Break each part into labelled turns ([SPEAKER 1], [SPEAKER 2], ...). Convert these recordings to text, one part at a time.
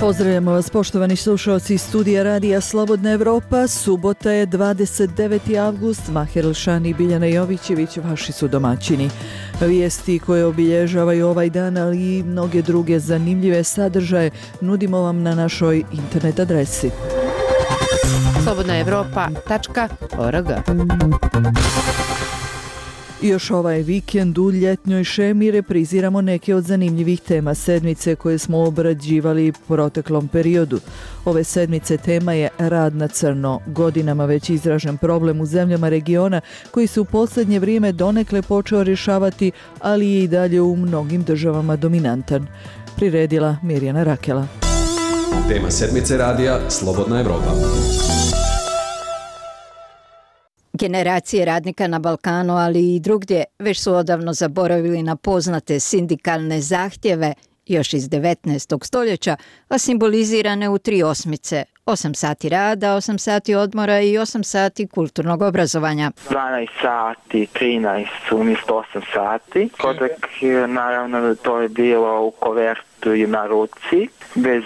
[SPEAKER 1] Pozdravljamo vas poštovani slušalci iz studija Radija Slobodna Evropa. Subota je 29. avgust. Maher Elšani i Biljana Jovićević vaši su domaćini. Vijesti koje obilježavaju ovaj dan, ali i mnoge druge zanimljive sadržaje nudimo vam na našoj internet adresi.
[SPEAKER 2] slobodnaevropa.org.
[SPEAKER 1] Još ovaj vikend u ljetnjoj šemi repriziramo neke od zanimljivih tema sedmice koje smo obrađivali u proteklom periodu. Ove sedmice tema je rad na crno, godinama već izražen problem u zemljama regiona koji se u posljednje vrijeme donekle počeo rješavati, ali je i dalje u mnogim državama dominantan. Priredila Mirjana Rakela.
[SPEAKER 3] Tema sedmice radija Slobodna Evropa.
[SPEAKER 2] Generacije radnika na Balkanu, ali i drugdje, već su odavno zaboravili na poznate sindikalne zahtjeve još iz 19. stoljeća, a simbolizirane u 3 osmice. 8 sati rada, 8 sati odmora i 8 sati kulturnog obrazovanja.
[SPEAKER 4] 12 sati, 13 umjesto 8 sati. Kodak, naravno, to je bilo u kovertu i na ruci, bez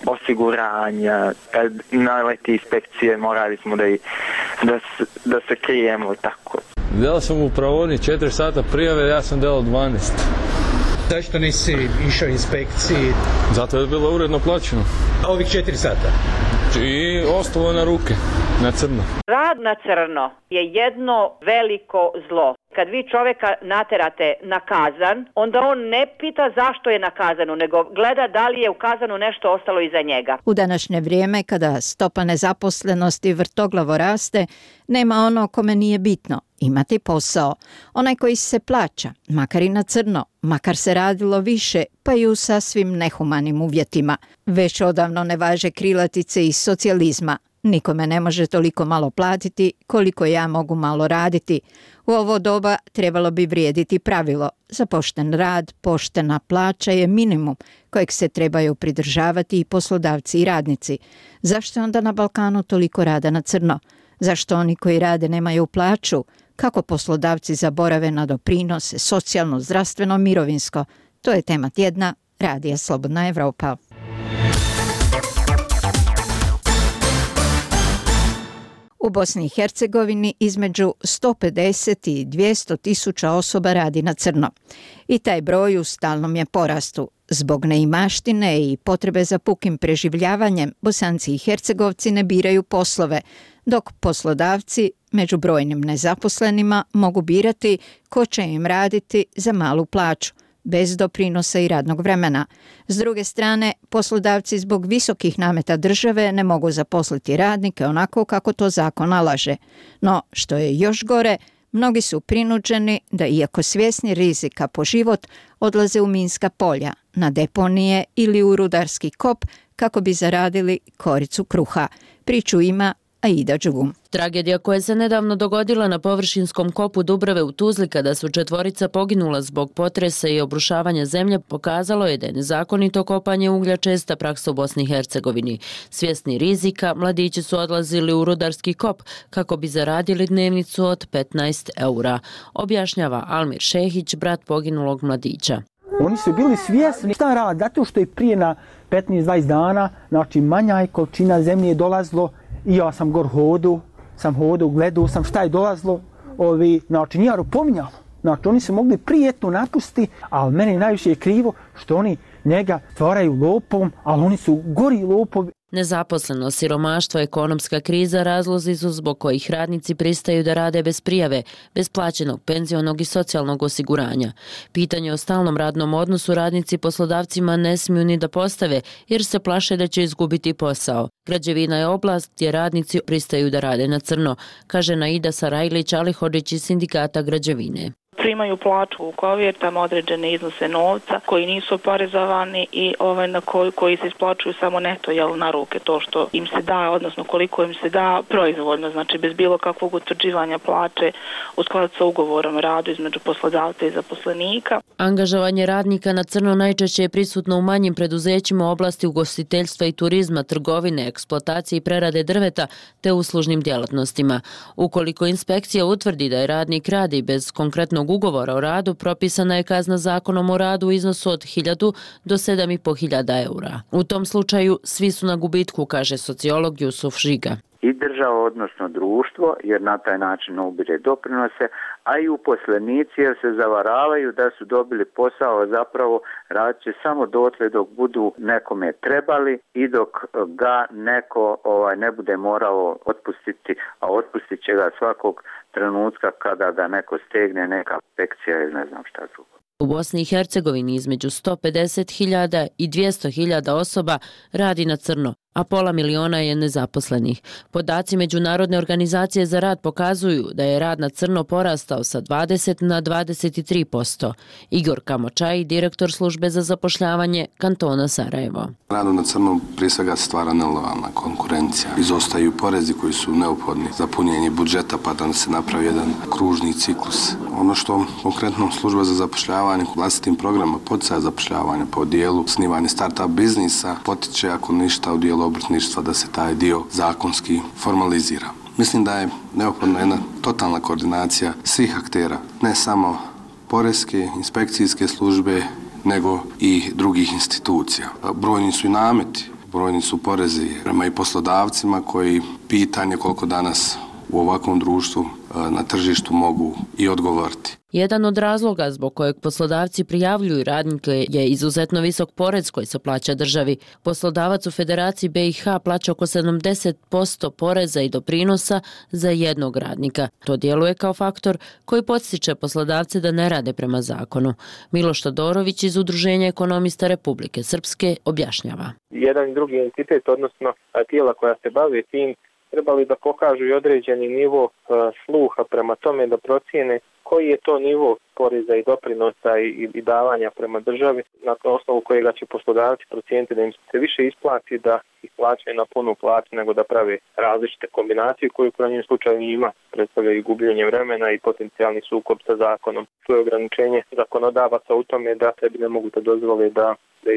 [SPEAKER 4] osiguranja. Kad naleti inspekcije, morali smo da se krijemo tako.
[SPEAKER 5] Delao sam u praoni 4 sata prijave, ja sam delao 12.
[SPEAKER 6] Zašto nisi išao inspekciji?
[SPEAKER 5] Zato je bilo uredno plaćeno.
[SPEAKER 6] Ovih 4 sata?
[SPEAKER 5] I ostalo na ruke, na crno.
[SPEAKER 7] Rad na crno je jedno veliko zlo. Kad vi čovjeka naterate na kazan, onda on ne pita zašto je na kazanu, nego gleda da li je u kazanu nešto ostalo iza njega.
[SPEAKER 2] U današnje vrijeme, kada stopa nezaposlenosti vrtoglavo raste, nema ono kome nije bitno imati posao. Onaj koji se plaća, makar i na crno, makar se radilo više, pa i u sasvim nehumanim uvjetima. Već odavno ne važe krilatice iz socijalizma. Nikome ne može toliko malo platiti koliko ja mogu malo raditi. U ovo doba trebalo bi vrijediti pravilo. Za pošten rad, poštena plaća je minimum kojeg se trebaju pridržavati i poslodavci i radnici. Zašto je onda na Balkanu toliko rada na crno? Zašto oni koji rade nemaju plaću? Kako poslodavci zaborave na doprinose, socijalno, zdravstveno, mirovinsko? To je tema tjedna Radija Slobodna Evropa. U Bosni i Hercegovini između 150 i 200 tisuća osoba radi na crno. I taj broj u stalnom je porastu. Zbog neimaštine i potrebe za pukim preživljavanjem, Bosanci i Hercegovci ne biraju poslove, dok poslodavci među brojnim nezaposlenima mogu birati ko će im raditi za malu plaću, bez doprinosa i radnog vremena. S druge strane, poslodavci zbog visokih nameta države ne mogu zaposliti radnike onako kako to zakon nalaže. No, što je još gore, mnogi su prinuđeni da, iako svjesni rizika po život, odlaze u minska polja, na deponije ili u rudarski kop kako bi zaradili koricu kruha. Priču ima Aida Đugum.
[SPEAKER 8] Tragedija koja se nedavno dogodila na površinskom kopu Dubrave u Tuzli kada su 4 poginula zbog potresa i obrušavanja zemlje pokazalo je da je nezakonito kopanje uglja česta praksa u Bosni i Hercegovini. Svjesni rizika, mladići su odlazili u rudarski kop kako bi zaradili dnevnicu od 15 eura, objašnjava Almir Šehić, brat poginulog mladića.
[SPEAKER 9] Oni su bili svjesni šta rad, zato što je prije na 15-20 dana, znači manja je količina zemlje dolazilo i ja sam hodao, gledao sam šta je dolazilo, znači nije pominjalo. Znači oni su mogli prijetno napustiti, ali meni najviše je krivo što oni njega stvaraju lopom, ali oni su gori lopovi.
[SPEAKER 8] Nezaposlenost, siromaštvo, ekonomska kriza razlozi su zbog kojih radnici pristaju da rade bez prijave, bez plaćenog penzionog i socijalnog osiguranja. Pitanje o stalnom radnom odnosu radnici poslodavcima ne smiju ni da postave jer se plaše da će izgubiti posao. Građevina je oblast gdje radnici pristaju da rade na crno, kaže Naida Sarajlić-Alihodžić iz sindikata građevine.
[SPEAKER 10] Primaju plaću u kovertama, određene iznose novca koji nisu oporezovani i koji se isplaćuju samo neto na ruke, to što im se da, odnosno koliko im se da proizvoljno, znači bez bilo kakvog utvrđivanja plaće u skladu sa ugovorom o radu između poslodavca i zaposlenika.
[SPEAKER 8] Angažovanje radnika na crno najčešće je prisutno u manjim preduzećima u oblasti ugostiteljstva i turizma, trgovine, eksploatacije i prerade drveta te uslužnim djelatnostima. Ukoliko inspekcija utvrdi da je radnik radi bez konkretnog ugovora o radu propisana je kazna zakonom o radu u iznosu od 1.000 do 7.500 eura. U tom slučaju svi su na gubitku, kaže sociolog Jusuf Žiga.
[SPEAKER 11] I država, odnosno društvo, jer na taj način ubire doprinose, a i uposlenici jer se zavaravaju da su dobili posao, a zapravo radit će samo dotle dok budu nekome trebali i dok ga neko ne bude morao otpustiti, a otpustit će ga svakog trenutka kada ga neko stegne, neka inspekcija ili ne znam šta drugo.
[SPEAKER 8] U Bosni i Hercegovini između 150.000 i 200.000 osoba radi na crno, a 500.000 je nezaposlenih. Podaci Međunarodne organizacije za rad pokazuju da je rad na crno porastao sa 20 na 23%. Igor Kamočaj, direktor službe za zapošljavanje kantona Sarajevo.
[SPEAKER 12] Radu na crno prije svega stvara nelojalna konkurencija. Izostaju porezi koji su neophodni za punjenje budžeta pa da se napravi jedan kružni ciklus. Ono što konkretno služba za zapošljavanje vlastitim programima poticaja zapošljavanja po dijelu snivanje start-up biznisa potiče ako ništa u dijelu obrtništva da se taj dio zakonski formalizira. Mislim da je neophodna jedna totalna koordinacija svih aktera, ne samo poreske, inspekcijske službe, nego i drugih institucija. Brojni su i nameti, brojni su porezi prema i poslodavcima koji pitanje koliko danas u ovakvom društvu na tržištu mogu i odgovoriti.
[SPEAKER 8] Jedan od razloga zbog kojeg poslodavci prijavljuju radnike je izuzetno visok porez koji se plaća državi. Poslodavac u Federaciji BiH plaća oko 70% poreza i doprinosa za jednog radnika. To djeluje kao faktor koji podstiče poslodavce da ne rade prema zakonu. Miloš Todorović iz Udruženja ekonomista Republike Srpske objašnjava.
[SPEAKER 13] Jedan i drugi entitet, odnosno tijela koja se bave tim, trebali da pokažu i određeni nivo sluha prema tome da procijene koji je to nivo poreza i doprinosa i davanja prema državi na osnovu kojega će poslodavci procijeniti da im se više isplati da ih plaćaju na punu plaću nego da prave različite kombinacije koje u krajnjem slučaju ima predstavljaju i gubljenje vremena i potencijalni sukob sa zakonom. To je ograničenje zakonodavaca u tome da sebi ne mogu da dozvole da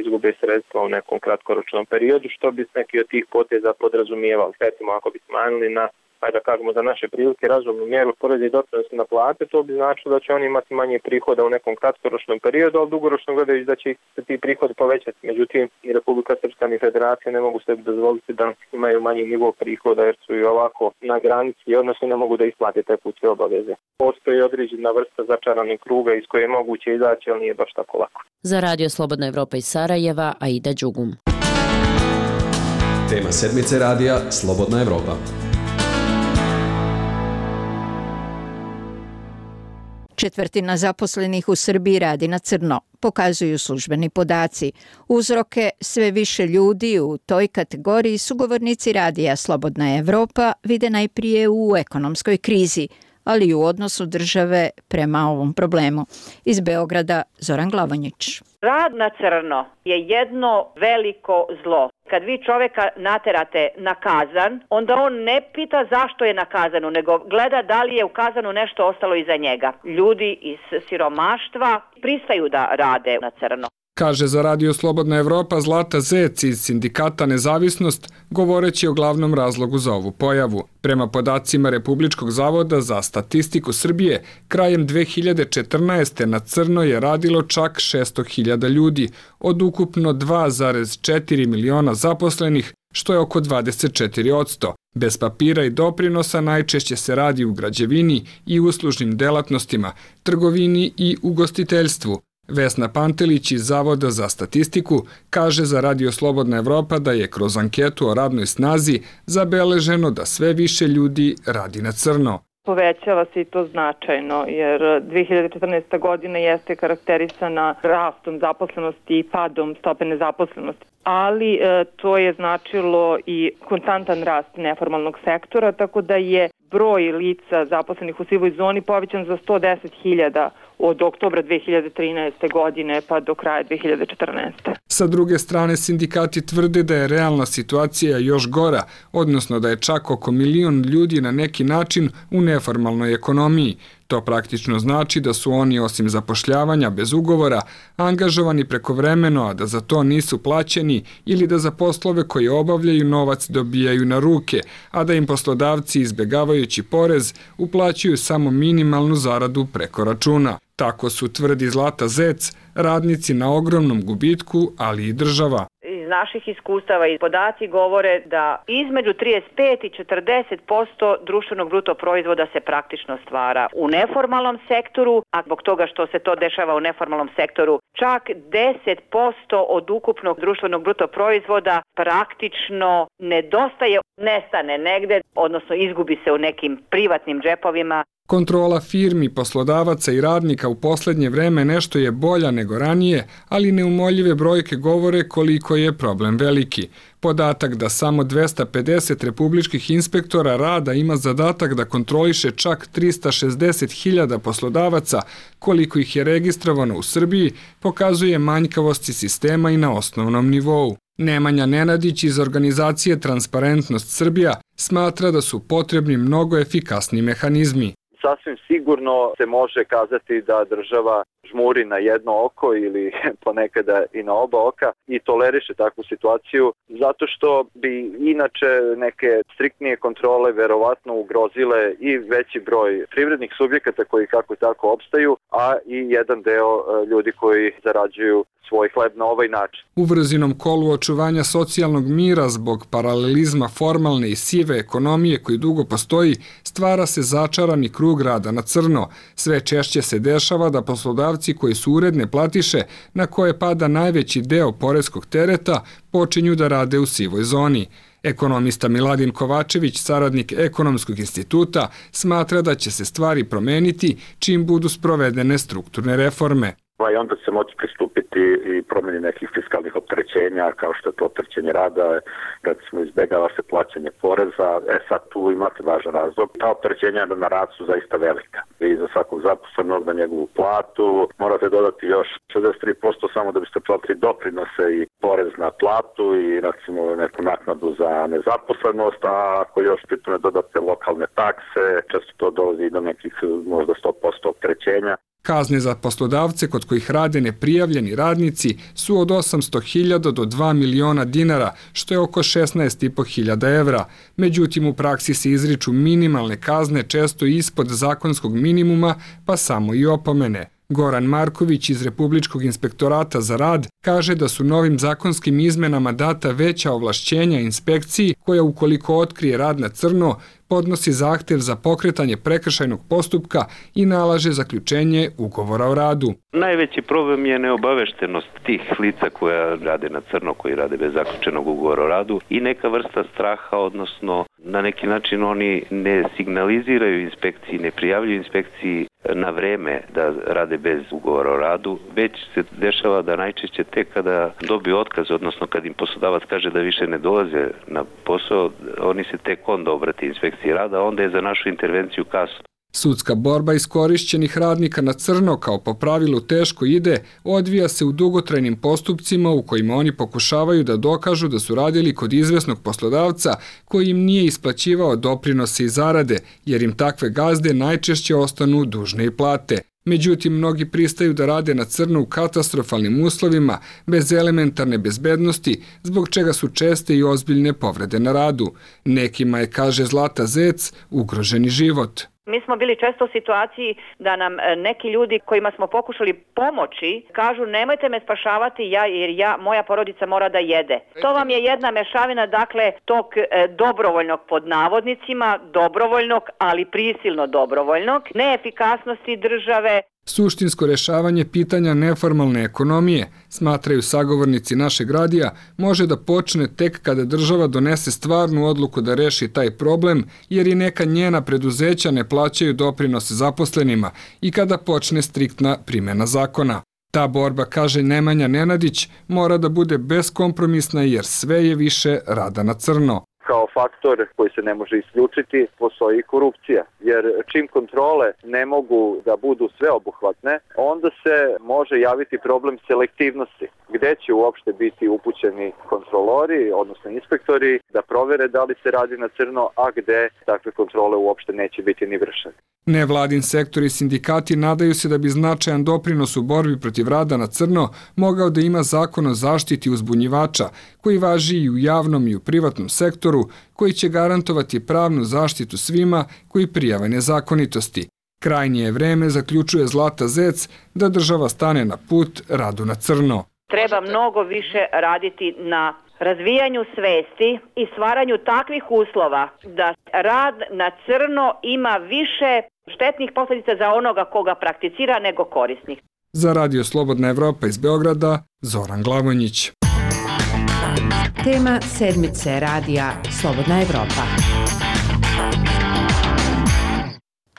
[SPEAKER 13] izgube sredstva u nekom kratkoročnom periodu, što bi neki od tih poteza podrazumijevali. Recimo, ako bi smanjili na, da kažemo za naše prilike, razumnu mjeru poreza i doprinosa na plate, to bi značilo da će oni imati manje prihoda u nekom kratkoročnom periodu, ali dugoročno gledajući da će se ti prihodi povećati. Međutim, i Republika Srpska ni Federacija ne mogu sebi dozvoliti da imaju manji nivo prihoda jer su i ovako na granici, odnosno ne mogu da isplate tekuće obaveze. Postoji određena vrsta začaranih kruga iz koje je moguće izaći, ali nije baš tako lako.
[SPEAKER 8] Za Radio Slobodna Evropa iz Sarajeva, Aida Đugum.
[SPEAKER 3] Tema sedmice radija Slobodna Evropa.
[SPEAKER 2] Četvrtina zaposlenih u Srbiji radi na crno, pokazuju službeni podaci. Uzroke sve više ljudi u toj kategoriji sugovornici radija Slobodna Evropa vide najprije u ekonomskoj krizi, ali i u odnosu države prema ovom problemu. Iz Beograda Zoran Glavonjić.
[SPEAKER 7] Rad na crno je jedno veliko zlo. Kad vi čoveka naterate na kazan, onda on ne pita zašto je na kazanu, nego gleda da li je u kazanu nešto ostalo iza njega. Ljudi iz siromaštva pristaju da rade na crno.
[SPEAKER 14] Kaže za Radio Slobodna Evropa Zlata Zec iz sindikata Nezavisnost, govoreći o glavnom razlogu za ovu pojavu. Prema podacima Republičkog zavoda za statistiku Srbije, krajem 2014. na crno je radilo čak 600.000 ljudi, od ukupno 2,4 miliona zaposlenih, što je oko 24%. Bez papira i doprinosa najčešće se radi u građevini i uslužnim delatnostima, trgovini i ugostiteljstvu. Vesna Pantelić iz Zavoda za statistiku kaže za Radio Slobodna Evropa da je kroz anketu o radnoj snazi zabeleženo da sve više ljudi radi na crno.
[SPEAKER 10] Povećava se i to značajno, jer 2014. godina jeste karakterisana rastom zaposlenosti i padom stope nezaposlenosti. Ali to je značilo i konstantan rast neformalnog sektora, tako da je broj lica zaposlenih u sivoj zoni povećan za 110.000 od oktobra 2013. godine pa do kraja 2014.
[SPEAKER 14] Sa druge strane, sindikati tvrde da je realna situacija još gora, odnosno da je čak oko 1 milion ljudi na neki način u neformalnoj ekonomiji. To praktično znači da su oni osim zapošljavanja bez ugovora angažovani prekovremeno, a da za to nisu plaćeni ili da za poslove koje obavljaju novac dobijaju na ruke, a da im poslodavci izbjegavajući porez uplaćuju samo minimalnu zaradu preko računa. Tako su, tvrdi Zlata Zec, radnici na ogromnom gubitku, ali i država.
[SPEAKER 7] Iz naših iskustava i podaci govore da između 35 i 40% društvenog bruto proizvoda se praktično stvara u neformalnom sektoru, a zbog toga što se to dešava u neformalnom sektoru, čak 10% od ukupnog društvenog bruto proizvoda praktično nedostaje, nestane negde, odnosno izgubi se u nekim privatnim džepovima.
[SPEAKER 14] Kontrola firmi, poslodavaca i radnika u posljednje vreme nešto je bolja nego ranije, ali neumoljive brojke govore koliko je problem veliki. Podatak da samo 250 republičkih inspektora rada ima zadatak da kontroliše čak 360.000 poslodavaca, koliko ih je registrovano u Srbiji, pokazuje manjkavosti sistema i na osnovnom nivou. Nemanja Nenadić iz organizacije Transparentnost Srbija smatra da su potrebni mnogo efikasni mehanizmi.
[SPEAKER 15] Sasvim sigurno se može kazati da država žmuri na jedno oko ili ponekada i na oba oka i toleriše takvu situaciju zato što bi inače neke striktnije kontrole verovatno ugrozile i veći broj privrednih subjekata koji kako tako opstaju, a i jedan deo ljudi koji zarađuju svoj hleb na ovaj način.
[SPEAKER 14] U vrzinom kolu očuvanja socijalnog mira zbog paralelizma formalne i sive ekonomije koji dugo postoji, stvara se začarani krug rada na crno. Sve češće se dešava da poslodavci koji su uredne platiše, na koje pada najveći deo poreskog tereta, počinju da rade u sivoj zoni. Ekonomista Miladin Kovačević, saradnik Ekonomskog instituta, smatra da će se stvari promeniti čim budu sprovedene strukturne reforme.
[SPEAKER 16] I onda se moći pristupiti i promjeni nekih fiskalnih opterećenja, kao što je to opterećenje rada, recimo izbjegava se plaćanje poreza. Sad tu imate važan razlog. Ta opterećenja na rad su zaista velika. I za svakog zaposlenog na njegovu platu morate dodati još 63% samo da biste platili doprinose i porez na platu i recimo neku naknadu za nezaposlenost, a ako još pritome dodate lokalne takse, često to dolazi do nekih možda 100% opterećenja.
[SPEAKER 14] Kazne za poslodavce kod kojih rade neprijavljeni radnici su od 800.000 do 2 miliona dinara, što je oko 16.500 evra. Međutim, u praksi se izriču minimalne kazne često ispod zakonskog minimuma, pa samo i opomene. Goran Marković iz Republičkog inspektorata za rad kaže da su novim zakonskim izmenama data veća ovlašćenja inspekciji koja ukoliko otkrije rad na crno podnosi zahtev za pokretanje prekršajnog postupka i nalaže zaključenje ugovora o radu.
[SPEAKER 17] Najveći problem je neobaveštenost tih lica koja rade na crno, koji rade bez zaključenog ugovora o radu i neka vrsta straha, odnosno na neki način oni ne signaliziraju inspekciji, ne prijavljuju inspekciji na vreme da rade bez ugovora o radu, već se dešava da najčešće tek kada dobiju otkaz, odnosno kad im poslodavac kaže da više ne dolaze na posao, oni se tek onda obrate inspekciji rada, onda je za našu intervenciju kasno.
[SPEAKER 14] Sudska borba iskorišćenih radnika na crno kao po pravilu teško ide, odvija se u dugotrajnim postupcima u kojima oni pokušavaju da dokažu da su radili kod izvesnog poslodavca koji im nije isplaćivao doprinose i zarade, jer im takve gazde najčešće ostanu dužne i plate. Međutim, mnogi pristaju da rade na crno u katastrofalnim uslovima, bez elementarne bezbednosti, zbog čega su česte i ozbiljne povrede na radu. Nekima je, kaže Zlata Zec, ugroženi život.
[SPEAKER 7] Mi smo bili često u situaciji da nam neki ljudi kojima smo pokušali pomoći kažu nemojte me spašavati jer moja porodica mora da jede. To vam je jedna mešavina dakle tog dobrovoljnog pod navodnicima, dobrovoljnog ali prisilno dobrovoljnog, neefikasnosti države.
[SPEAKER 14] Suštinsko rešavanje pitanja neformalne ekonomije, smatraju sagovornici našeg radija, može da počne tek kada država donese stvarnu odluku da reši taj problem, jer i neka njena preduzeća ne plaćaju doprinose zaposlenima i kada počne striktna primjena zakona. Ta borba, kaže Nemanja Nenadić, mora da bude beskompromisna jer sve je više rada na crno.
[SPEAKER 15] Kao faktor koji se ne može isključiti, postoji korupcija. Jer čim kontrole ne mogu da budu sveobuhvatne, onda se može javiti problem selektivnosti. Gde će uopšte biti upućeni kontrolori, odnosno inspektori, da provere da li se radi na crno, a gde takve kontrole uopšte neće biti ni vršene.
[SPEAKER 14] Nevladin sektor i sindikati nadaju se da bi značajan doprinos u borbi protiv rada na crno mogao da ima zakon o zaštiti uzbunjivača, koji važi i u javnom i u privatnom sektoru, koji će garantovati pravnu zaštitu svima koji prijave nezakonitosti. Krajnje je vreme, zaključuje Zlata Zec, da država stane na put radu na crno.
[SPEAKER 7] Treba mnogo više raditi na razvijanju svesti i stvaranju takvih uslova da rad na crno ima više štetnih posljedica za onoga koga prakticira nego korisnih.
[SPEAKER 14] Za Radio Slobodna Evropa iz Beograda, Zoran Glavonjić.
[SPEAKER 18] Tema sedmice radija Slobodna Evropa.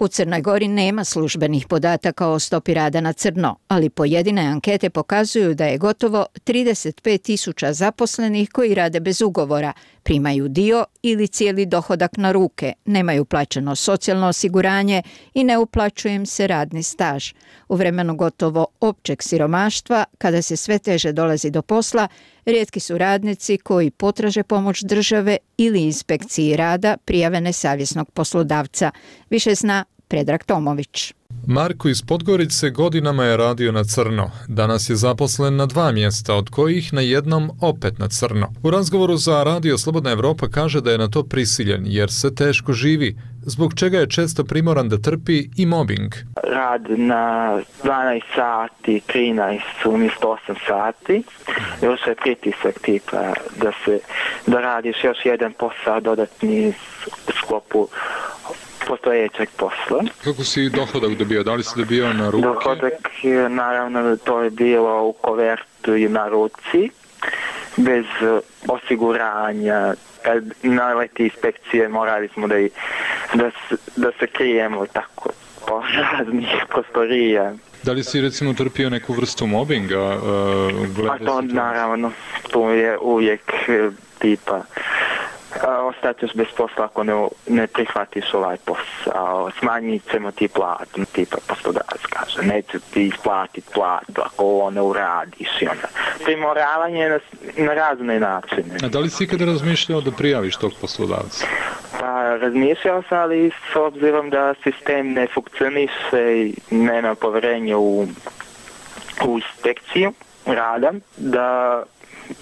[SPEAKER 2] U Crnoj Gori nema službenih podataka o stopi rada na crno, ali pojedine ankete pokazuju da je gotovo 35.000 zaposlenih koji rade bez ugovora, primaju dio ili cijeli dohodak na ruke, nemaju plaćeno socijalno osiguranje i ne uplaćuje im se radni staž. U vremenu gotovo općeg siromaštva, kada se sve teže dolazi do posla, rijetki su radnici koji potraže pomoć države ili inspekciji rada prijave nesavjesnog poslodavca. Više zna Predrag Tomović.
[SPEAKER 19] Marko iz Podgorice godinama je radio na crno. Danas je zaposlen na 2 mjesta, od kojih na jednom opet na crno. U razgovoru za Radio Slobodna Evropa kaže da je na to prisiljen jer se teško živi, zbog čega je često primoran da trpi i mobbing.
[SPEAKER 4] Rad na 12 sati, 13 umjesto 8 sati. Još je pritisak tipa da radiš još jedan posao dodatni u sklopu postojećeg posla.
[SPEAKER 19] Kako si dohodak dobio? Da li si dobio na ruke?
[SPEAKER 4] Dohodak, naravno, to je bilo u kovertu i na ruci, bez osiguranja. Kad naleti inspekcije, morali smo da se krijemo tako po raznih prostorija.
[SPEAKER 19] Da li si recimo trpio neku vrstu mobbinga?
[SPEAKER 4] A to naravno, to je uvijek tipa ostaćeš bez posla ako ne prihvatiš ovaj posao, smanjit ćemo ti platu, tipa poslodavac kaže, neće ti isplatiti platu ako ovo ne uradiš i onda primoravanje na razne načine.
[SPEAKER 19] A da li si ikada razmišljao da prijaviš tog poslodavca?
[SPEAKER 4] Pa razmišljao sam, ali s obzirom da sistem ne funkcioniše i nema povjerenja u inspekciju rada, da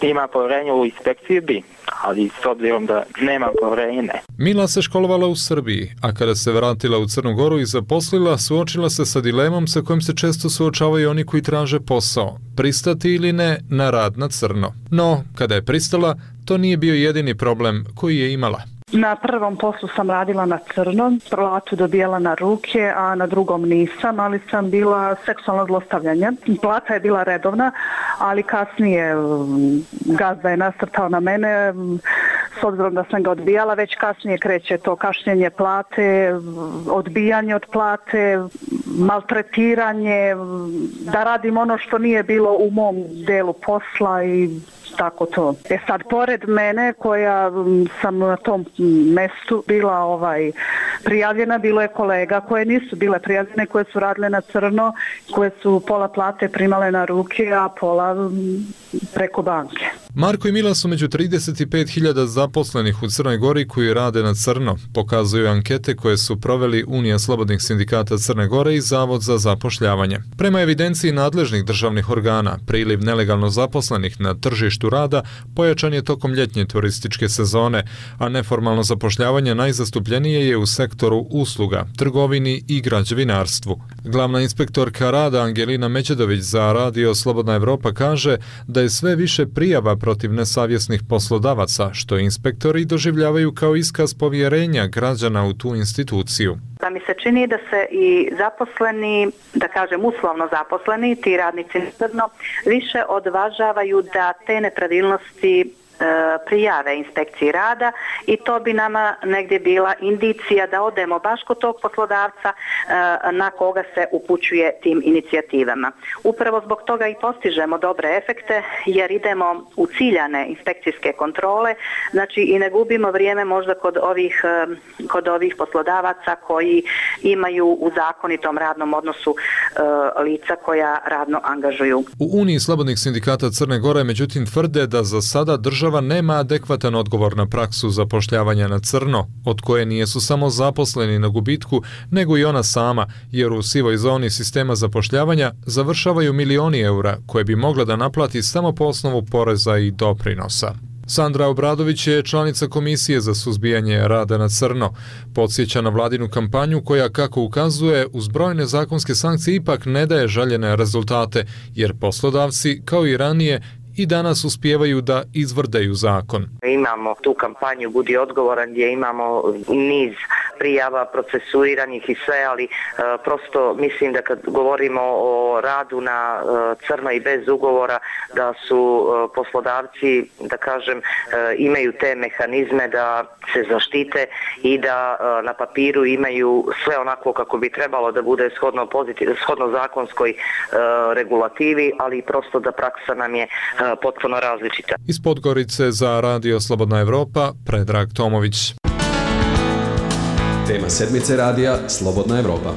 [SPEAKER 4] ima povjerenje u inspekciju bi, ali s obzirom da nema povjerenja ne.
[SPEAKER 19] Mila se školovala u Srbiji, a kada se vratila u Crnu Goru i zaposlila, suočila se sa dilemom sa kojim se često suočavaju oni koji traže posao, pristati ili ne na rad na crno. No, kada je pristala, to nije bio jedini problem koji je imala.
[SPEAKER 20] Na prvom poslu sam radila na crno, platu dobijala na ruke, a na drugom nisam, ali sam bila seksualno zlostavljanje. Plata je bila redovna, ali kasnije gazda je nasrtao na mene, s obzirom da sam ga odbijala, već kasnije kreće to kašnjenje plate, odbijanje od plate, maltretiranje, da radim ono što nije bilo u mom delu posla i tako to. Sad, pored mene koja sam na tom mestu bila prijavljena, bilo je kolega koje nisu bile prijavljene, koje su radile na crno, koje su pola plate primale na ruke, a pola preko banke.
[SPEAKER 19] Marko i Mila su među 35.000 zaposlenih u Crnoj Gori koji rade na crno, pokazuju ankete koje su proveli Unija slobodnih sindikata Crne Gore i Zavod za zapošljavanje. Prema evidenciji nadležnih državnih organa, priliv nelegalno zaposlenih na tržištu rada pojačan je tokom ljetnje turističke sezone, a neformalno zapošljavanje najzastupljenije je u sektoru usluga, trgovini i građevinarstvu. Glavna inspektorka rada Angelina Međedović za Radio Slobodna Evropa kaže da je sve više prijava protiv nesavjesnih poslodavaca, što inspektori doživljavaju kao iskaz povjerenja građana u tu instituciju.
[SPEAKER 21] Da mi se čini da se i zaposleni, da kažem uslovno zaposleni, ti radnici crno, više odvažavaju da te nepravilnosti prijave inspekciji rada i to bi nama negdje bila indicija da odemo baš kod tog poslodavca na koga se upućuje tim inicijativama. Upravo zbog toga i postižemo dobre efekte jer idemo u ciljane inspekcijske kontrole, znači i ne gubimo vrijeme možda kod ovih poslodavaca koji imaju u zakonitom radnom odnosu lica koja radno angažuju.
[SPEAKER 19] U Uniji slobodnih sindikata Crne Gore međutim tvrde da za sada država nema adekvatan odgovor na praksu zapošljavanja na crno, od koje nijesu samo zaposleni na gubitku, nego i ona sama, jer u sivoj zoni sistema zapošljavanja završavaju milioni eura koje bi mogla da naplati samo po osnovu poreza i doprinosa. Sandra Obradović je članica Komisije za suzbijanje rada na crno. Podsjeća na vladinu kampanju koja, kako ukazuje, uz brojne zakonske sankcije ipak ne daje željene rezultate, jer poslodavci, kao i ranije, i danas uspijevaju da izvrdaju zakon.
[SPEAKER 1] Imamo tu kampanju Budi odgovoran gdje imamo niz prijava procesuiranih i sve, ali prosto mislim da kad govorimo o radu na crno i bez ugovora, da su poslodavci, da kažem, imaju te mehanizme da se zaštite i da na papiru imaju sve onako kako bi trebalo da bude shodno zakonskoj regulativi, ali prosto da praksa nam je potpuno različita.
[SPEAKER 19] Iz Podgorice za Radio Slobodna Evropa, Predrag Tomović.
[SPEAKER 3] Tema sedmice radija Slobodna Evropa.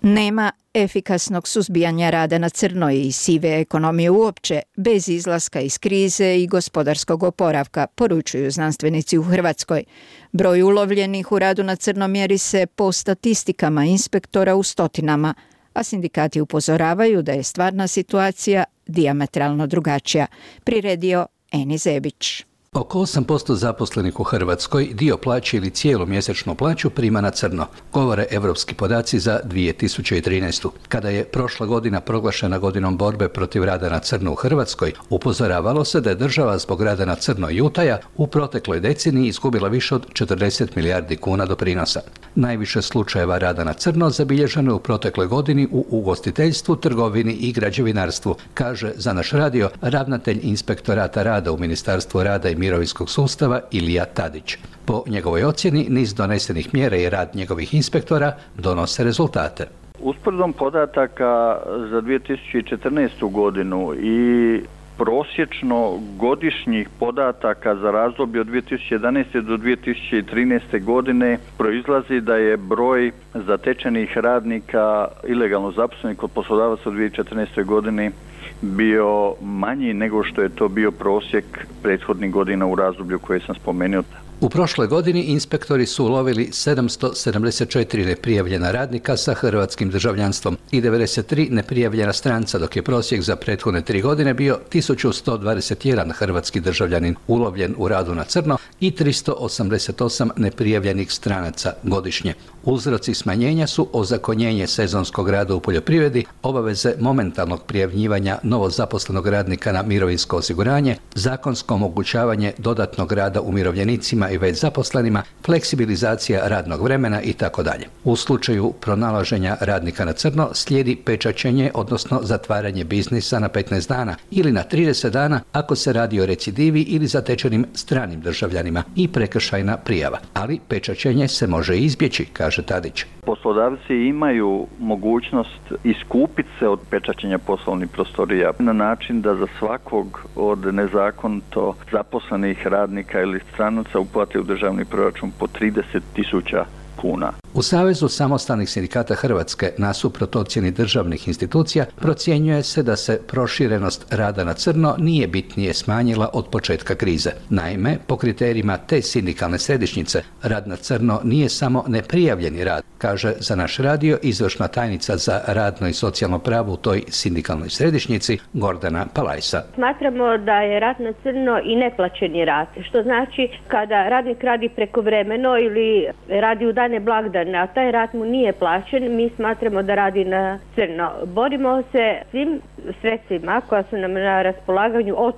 [SPEAKER 2] Nema efikasnog suzbijanja rada na crno i sive ekonomije uopće bez izlaska iz krize i gospodarskog oporavka, poručuju znanstvenici u Hrvatskoj. Broj ulovljenih u radu na crno mjeri se po statistikama inspektora u stotinama, a sindikati upozoravaju da je stvarna situacija dijametralno drugačija. Priredio Eni Zebić.
[SPEAKER 22] Oko 8% zaposlenih u Hrvatskoj dio plaće ili cijelu mjesečnu plaću prima na crno, govore evropski podaci za 2013. Kada je prošla godina proglašena godinom borbe protiv rada na crno u Hrvatskoj, upozoravalo se da je država zbog rada na crno i utaja u protekloj deceniji izgubila više od 40 milijardi kuna doprinosa. Najviše slučajeva rada na crno zabilježeno je u protekloj godini u ugostiteljstvu, trgovini i građevinarstvu, kaže za naš radio ravnatelj inspektorata rada u Ministarstvu rada i mirovinskog sustava Ilija Tadić. Po njegovoj ocjeni, niz donesenih mjera i rad njegovih inspektora donose rezultate.
[SPEAKER 23] Usporedbom podataka za 2014. godinu i prosječno godišnjih podataka za razdoblje od 2011. do 2013. godine proizlazi da je broj zatečenih radnika ilegalno zaposlenih kod poslodavaca u 2014. godini bio manji nego što je to bio prosjek prethodnih godina u razdoblju koje sam spomenuo.
[SPEAKER 22] U prošloj godini inspektori su ulovili 774 neprijavljena radnika sa hrvatskim državljanstvom i 93 neprijavljena stranca, dok je prosjek za prethodne 3 godine bio 1121 hrvatski državljanin ulovljen u radu na crno i 388 neprijavljenih stranaca godišnje. Uzroci smanjenja su ozakonjenje sezonskog rada u poljoprivredi, obaveze momentalnog prijavljivanja novozaposlenog radnika na mirovinsko osiguranje, zakonsko omogućavanje dodatnog rada umirovljenicima i već zaposlenima, fleksibilizacija radnog vremena itd. U slučaju pronalaženja radnika na crno slijedi pečaćenje, odnosno zatvaranje biznisa na 15 dana ili na 30 dana ako se radi o recidivi ili zatečenim stranim državljanima i prekršajna prijava. Ali pečaćenje se može izbjeći, kaže Tadić.
[SPEAKER 23] Poslodavci imaju mogućnost iskupiti se od pečaćenja poslovnih prostorija na način da za svakog od nezakonito zaposlenih radnika ili stranaca uplate u državni proračun po 30.000 kuna.
[SPEAKER 22] U Savezu samostalnih sindikata Hrvatske, nasuprot ocjeni državnih institucija, procjenjuje se da se proširenost rada na crno nije bitnije smanjila od početka krize. Naime, po kriterijima te sindikalne središnjice, rad na crno nije samo neprijavljeni rad, kaže za naš radio izvršna tajnica za radno i socijalno pravo u toj sindikalnoj središnjici Gordana Palajsa.
[SPEAKER 24] Smatramo da je rad na crno i neplaćeni rad, što znači kada radnik radi prekovremeno ili radi u dane blagdane, a taj rad mu nije plaćen, mi smatramo da radi na crno. Borimo se svim sredstvima koja su nam na raspolaganju od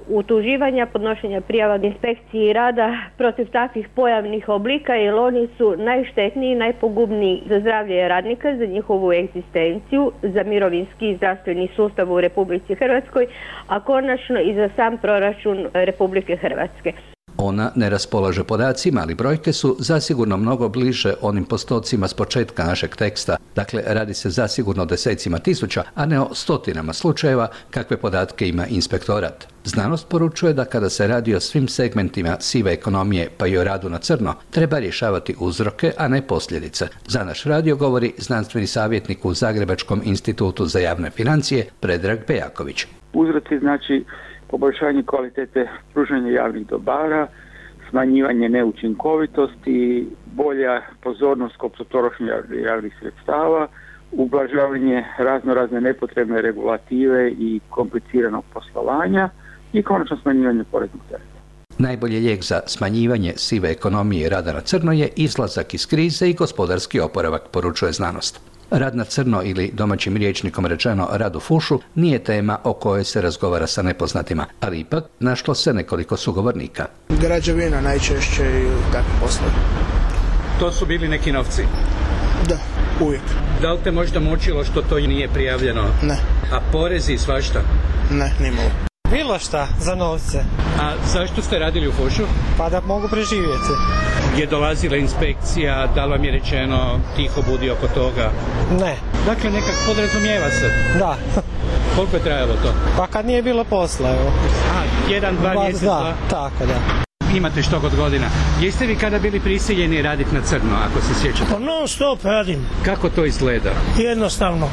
[SPEAKER 24] utuživanja, podnošenja prijava inspekciji rada protiv takvih pojavnih oblika, jer oni su najštetniji i najpogubniji za zdravlje radnika, za njihovu egzistenciju, za mirovinski i zdravstveni sustav u Republici Hrvatskoj, a konačno i za sam proračun Republike Hrvatske.
[SPEAKER 22] Ona ne raspolaže podacima, ali brojke su zasigurno mnogo bliže onim postocima s početka našeg teksta. Dakle, radi se zasigurno o desecima tisuća, a ne o stotinama slučajeva kakve podatke ima inspektorat. Znanost poručuje da kada se radi o svim segmentima sive ekonomije, pa i o radu na crno, treba rješavati uzroke, a ne posljedice. Za naš radio govori znanstveni savjetnik u Zagrebačkom institutu za javne financije Predrag Bejaković.
[SPEAKER 25] Uzroci znači poboljšanje kvalitete pružanja javnih dobara, smanjivanje neučinkovitosti, bolja pozornost kod potrošnje javnih sredstava, ublažavanje razne nepotrebne regulative i kompliciranog poslovanja i konačno smanjivanje poreznog tereta.
[SPEAKER 22] Najbolji lijek za smanjivanje sive ekonomije i rada na crno je izlazak iz krize i gospodarski oporavak, poručuje znanost. Rad na crno ili domaćim rječnikom rečeno rad u fušu nije tema o kojoj se razgovara sa nepoznatima, ali ipak našlo se nekoliko sugovornika.
[SPEAKER 5] Građevina najčešće i takvi poslovi.
[SPEAKER 6] To su bili neki novci?
[SPEAKER 5] Da, uvijek.
[SPEAKER 6] Da li te možda mučilo što to nije prijavljeno?
[SPEAKER 5] Ne.
[SPEAKER 6] A porezi i svašta?
[SPEAKER 5] Ne, nimalo.
[SPEAKER 9] Bilo šta za novce.
[SPEAKER 6] A zašto ste radili u fušu?
[SPEAKER 9] Pa da mogu preživjeti.
[SPEAKER 6] Je dolazila inspekcija, da li vam je rečeno tiho budi oko toga?
[SPEAKER 9] Ne.
[SPEAKER 6] Dakle, nekak podrazumijeva se?
[SPEAKER 9] Da.
[SPEAKER 6] Koliko je trajalo to?
[SPEAKER 9] Pa kad nije bilo posla, evo.
[SPEAKER 6] A, 1-2 mjeseca?
[SPEAKER 9] Da, tako da.
[SPEAKER 6] Imate što god godina. Jeste vi kada bili prisiljeni raditi na crno, ako se sjećate?
[SPEAKER 9] Pa non stop radim.
[SPEAKER 6] Kako to izgleda?
[SPEAKER 9] Jednostavno.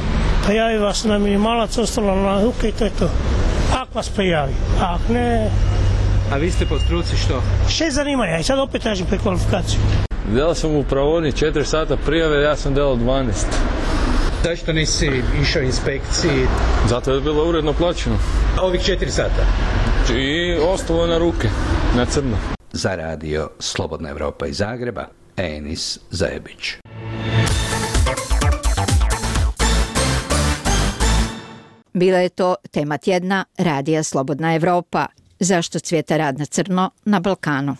[SPEAKER 9] Prijavi vas na minimalac, ostalo na ruke i to je to. Ako vas prijavi, ako ne...
[SPEAKER 6] A vi ste po struci što?
[SPEAKER 9] 6 zanimanja i sad opet tražim prekvalifikaciju.
[SPEAKER 11] Delao sam u pravodni 4 sata prijave, ja sam delao 12.
[SPEAKER 6] Zašto nisi išao inspekciji?
[SPEAKER 11] Zato je bilo uredno plaćeno.
[SPEAKER 6] Ovih 4 sata?
[SPEAKER 11] I ostalo na ruke, na crno.
[SPEAKER 22] Za radio Slobodna Evropa iz Zagreba, Enis Zajebić.
[SPEAKER 2] Bila je to tema tjedna Radija Slobodna Evropa. Zašto cvijeta rad na crno na Balkanu?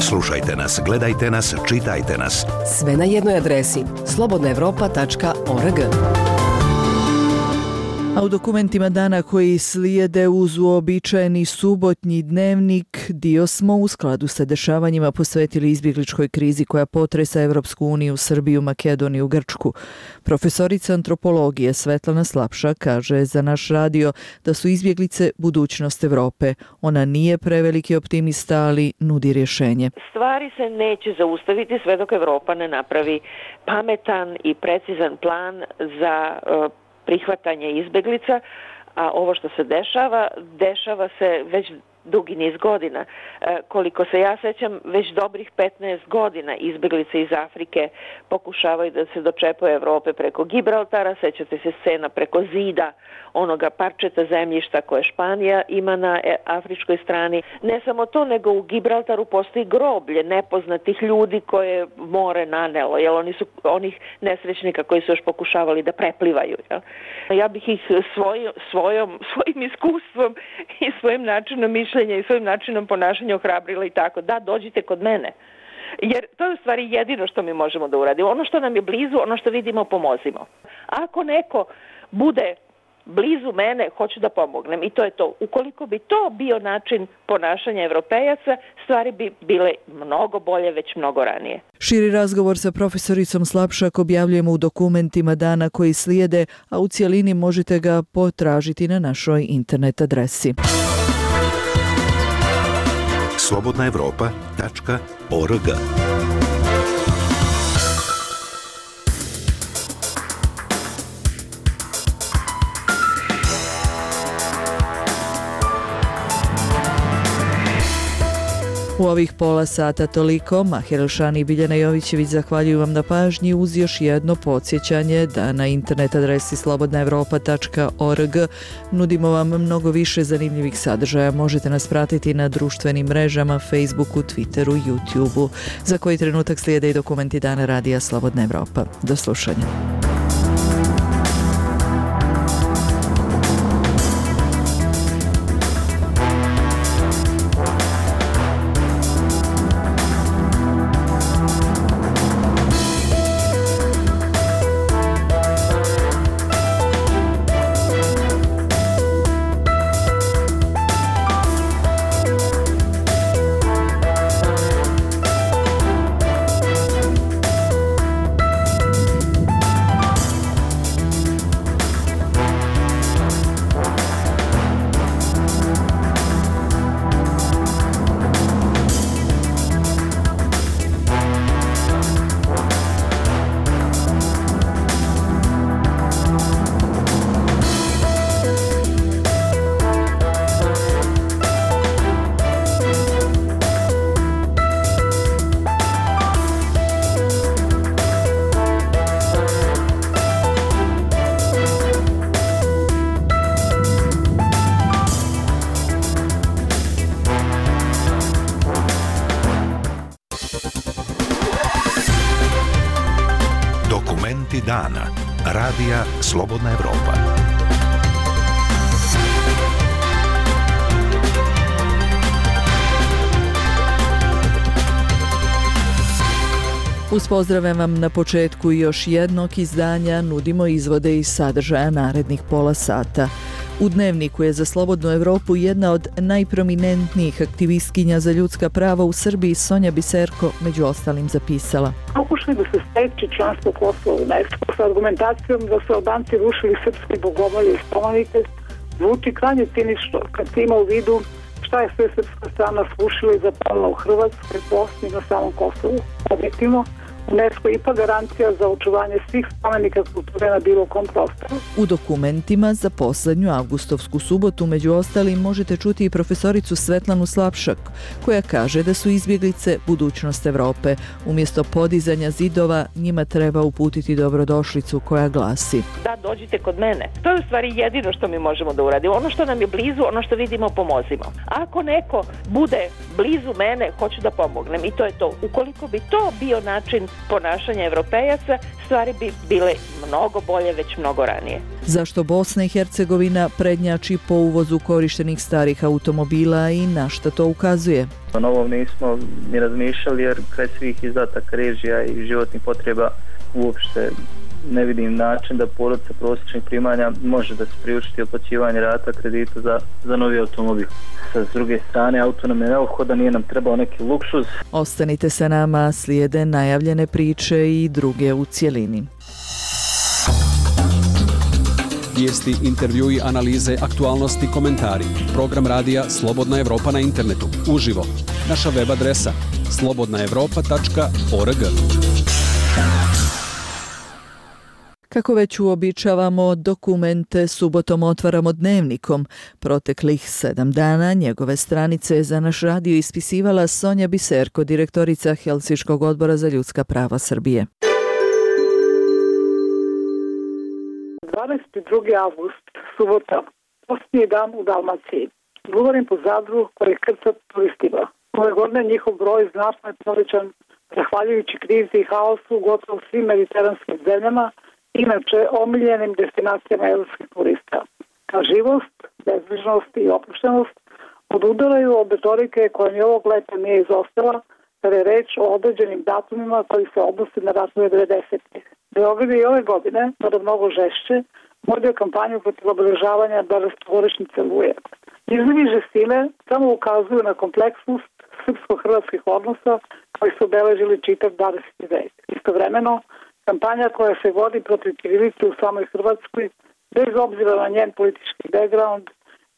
[SPEAKER 12] Slušajte nas, gledajte nas, čitajte nas.
[SPEAKER 26] Sve na jednoj adresi slobodnaevropa.org.
[SPEAKER 27] A u dokumentima dana koji slijede uz uobičajeni subotnji dnevnik dio smo u skladu sa dešavanjima posvetili izbjegličkoj krizi koja potresa Evropsku uniju, Srbiju, Makedoniju, Grčku. Profesorica antropologije Svetlana Slapša kaže za naš radio da su izbjeglice budućnost Evrope. Ona nije preveliki optimista, ali nudi rješenje.
[SPEAKER 28] Stvari se neće zaustaviti sve dok Evropa ne napravi pametan i precizan plan za prihvatanje izbjeglica, a ovo što se dešava se već dugi niz godina. Koliko se ja sećam, već dobrih 15 godina izbjeglice iz Afrike pokušavaju da se dočepaju Evrope preko Gibraltara, sećate se scena preko zida onoga parčeta zemljišta koje Španija ima na afričkoj strani. Ne samo to, nego u Gibraltaru postoji groblje nepoznatih ljudi koje more nanelo, jer oni su onih nesrećnika koji su još pokušavali da preplivaju. Jel? Ja bih ih svojim iskustvom i svojim načinom mišljenja i svojim načinom ponašanja ohrabrila i tako, da, dođite kod mene. Jer to je u stvari jedino što mi možemo da uradimo. Ono što nam je blizu, ono što vidimo, pomozimo. Ako neko bude blizu mene, hoću da pomognem i to je to. Ukoliko bi to bio način ponašanja Evropejaca, stvari bi bile mnogo bolje već mnogo ranije.
[SPEAKER 27] Širi razgovor sa profesoricom Slapšak objavljujemo u dokumentima dana koji slijede, a u cijelini možete ga potražiti na našoj internet adresi.
[SPEAKER 12] slobodnaevropa.org.
[SPEAKER 27] U ovih pola sata toliko. Mahir Elšani i Biljana Jovićević zahvaljuju vam na pažnji uz još jedno podsjećanje da na internet adresi slobodnaevropa.org nudimo vam mnogo više zanimljivih sadržaja. Možete nas pratiti na društvenim mrežama, Facebooku, Twitteru, YouTubeu. Za koji trenutak slijede i dokumenti dana Radija Slobodna Evropa. Do slušanja.
[SPEAKER 12] Vijesti dana. Radija Slobodna Evropa.
[SPEAKER 27] Uz pozdrave vam na početku još jednog izdanja nudimo izvode iz sadržaja narednih pola sata. U Dnevniku je za Slobodnu Evropu jedna od najprominentnijih aktivistkinja za ljudska prava u Srbiji Sonja Biserko među ostalim zapisala.
[SPEAKER 7] Pokušali da se steči članstvo Kosova u UNESCO sa argumentacijom da su Albanci rušili srpske bogomolje i spomenike, zvuči krajnje cinično kad se ima u vidu šta je sve srpska strana srušila i zapalila u Hrvatskoj, Bosni i na samom Kosovu. Objektivno, UNESCO je ipak garancija za očuvanje svih spomenika kulture na bilo kom prostoru.
[SPEAKER 27] U dokumentima za poslednju avgustovsku subotu među ostalim možete čuti i profesoricu Svetlanu Slapšak, koja kaže da su izbjeglice budućnost Evrope. Umjesto podizanja zidova njima treba uputiti dobrodošlicu koja glasi:
[SPEAKER 28] da, dođite kod mene. To je u stvari jedino što mi možemo da uradimo. Ono što nam je blizu, ono što vidimo, pomozimo. Ako neko bude blizu mene, hoću da pomognem i to je to. Ukoliko bi to bio način ponašanja Evropejaca, stvari bi bile mnogo bolje već mnogo ranije.
[SPEAKER 27] Zašto Bosna i Hercegovina prednjači po uvozu korištenih starih automobila i na šta to ukazuje?
[SPEAKER 4] O novom nismo ni razmišljali jer kraj svih izdataka režija i životnih potreba uopšte ne vidim način da porodica prosječnih primanja može da se priučiti otplaćivanje rata kredita za novi automobil. S druge strane, auto nam je neophodan, nije nam trebao neki luksuz.
[SPEAKER 27] Ostanite sa nama, slijede najavljene priče i druge u cjelini.
[SPEAKER 3] Vijesti, intervjui, analize, aktualnosti, komentari. Program radija Slobodna Evropa na internetu. Uživo. Naša web adresa slobodnaevropa.org.
[SPEAKER 27] Kako već uobičavamo, dokumente subotom otvaramo Dnevnikom. Proteklih 7 dana njegove stranice je za naš radio ispisivala Sonja Biserko, direktorica Helsinškog odbora za ljudska prava Srbije.
[SPEAKER 7] 22. avgust, subota, posljednji dan u Dalmaciji. Govorim po Zadru koji krcat turistima. Ove godine njihov broj znatno je povećan zahvaljujući krizi i haosu u gotovo svim mediteranskim zemljama, inače omiljenim destinacijama evropskih turista. Živost, bezbrižnost i opuštenost odudaraju od retorike koja ni ovog leta nije izostala, kada je reč o određenim datumima koji se odnose na ratove 90-ih. Beograd je i ove godine, kada mnogo žešće, vodio kampanju protiv obeležavanja 20-godišnjice Oluje. Izlivi žestine samo ukazuju na kompleksnost srpsko-hrvatskih odnosa koji su obeležili čitav 20. vek. Istovremeno, kampanja koja se vodi protiv ćirilice u samoj Hrvatskoj, bez obzira na njen politički background,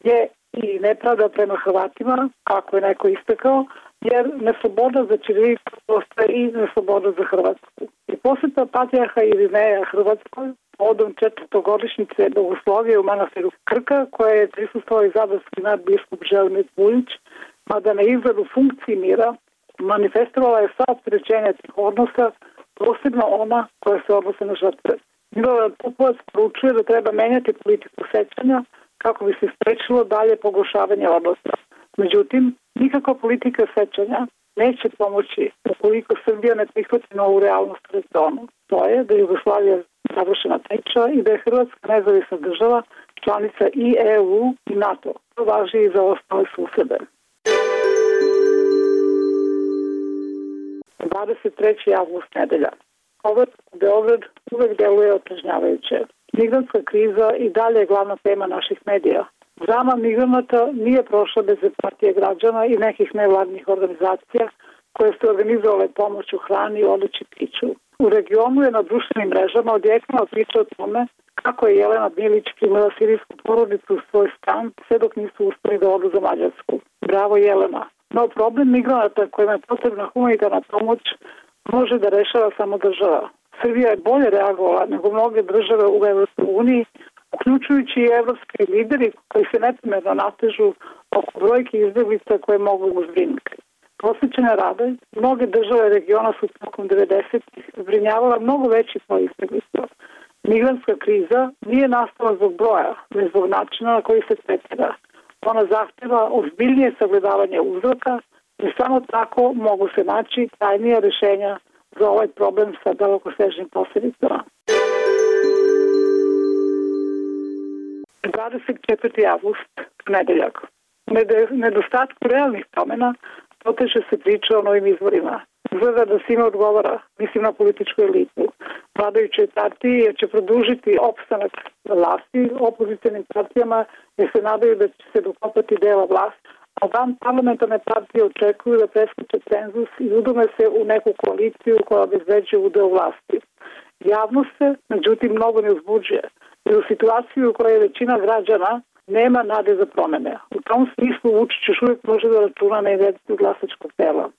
[SPEAKER 7] je i nepravda prema Hrvatima, kako je neko istakao, jer nesloboda za ćirilicu postaje i nesloboda za Hrvatsku. I posjeta patrijarha Irineja Hrvatskoj povodom 400-godišnjice Bogoslovije u manastiru Krka, koje je prisustvovao i zadarski nadbiskup Želimir Vujić, mada na izgledu funkciji mira manifestovala je sva opterećenja tih odnosa, posebno ona koja se odnose na žrtve. Milorad Pupovac poručuje da treba menjati politiku sećanja kako bi se sprečilo dalje pogoršavanje odnosa. Međutim, nikakva politika sećanja neće pomoći ukoliko Srbija ne prihvati novu realnost u regionu. To je da je Jugoslavija završena priča i da je Hrvatska nezavisna država, članica i EU i NATO. To važi i za ostale susede. 23. avgust, nedelja. Povratak u Beograd uvek deluje otrežnjavajuće. Migrantska kriza i dalje je glavna tema naših medija. Drama migranata nije prošla bez empatije građana i nekih nevladnih organizacija koje su organizovale pomoć u hrani, odeći, piću. U regionu je na društvenim mrežama odjeknula priča o tome kako je Jelena Milić primila sirijsku porodicu u svoj stan sve dok nisu uspeli da odu za Mađarsku. Bravo Jelena! No problem migranata kojima je potrebna humanitarna pomoć može da rešava samo država. Srbija je bolje reagovala nego mnoge države u Evropskoj uniji, uključujući i evropski lideri koji se neprimerno natežu oko brojke izbjeglica koje mogu uzbrinuti. Posvećene rade, mnoge države regiona su tokom 90-ih zbrinjavala mnogo veći broj izbjeglica. Migrantska kriza nije nastala zbog broja, već zbog načina na koji se tretira. Ona zahtjeva ozbiljnije sagledavanje uzroka i samo tako mogu se naći trajnija rješenja za ovaj problem sa dalekosežnim posljedicama. 24. avgust, nedeljak. Nedostatku realnih promjena poteže se priča o novim izborima. Izgleda da svima odgovara, mislim na političku elitu, vladajućoj partiji, jer će produžiti opstanak vlasti, opozicionim partijama, jer se nadaju da će se dokopati dela vlasti, a van parlamentarne partije očekuju da preskoče cenzus i udume se u neku koaliciju koja obezbeđuje udeo vlasti. Javnost se, međutim, mnogo ne uzbuđuje, jer u situaciju u kojoj većina građana nema nade za promene. U tom smislu Vučić još uvijek može da računa na inverziju glasačkog tela.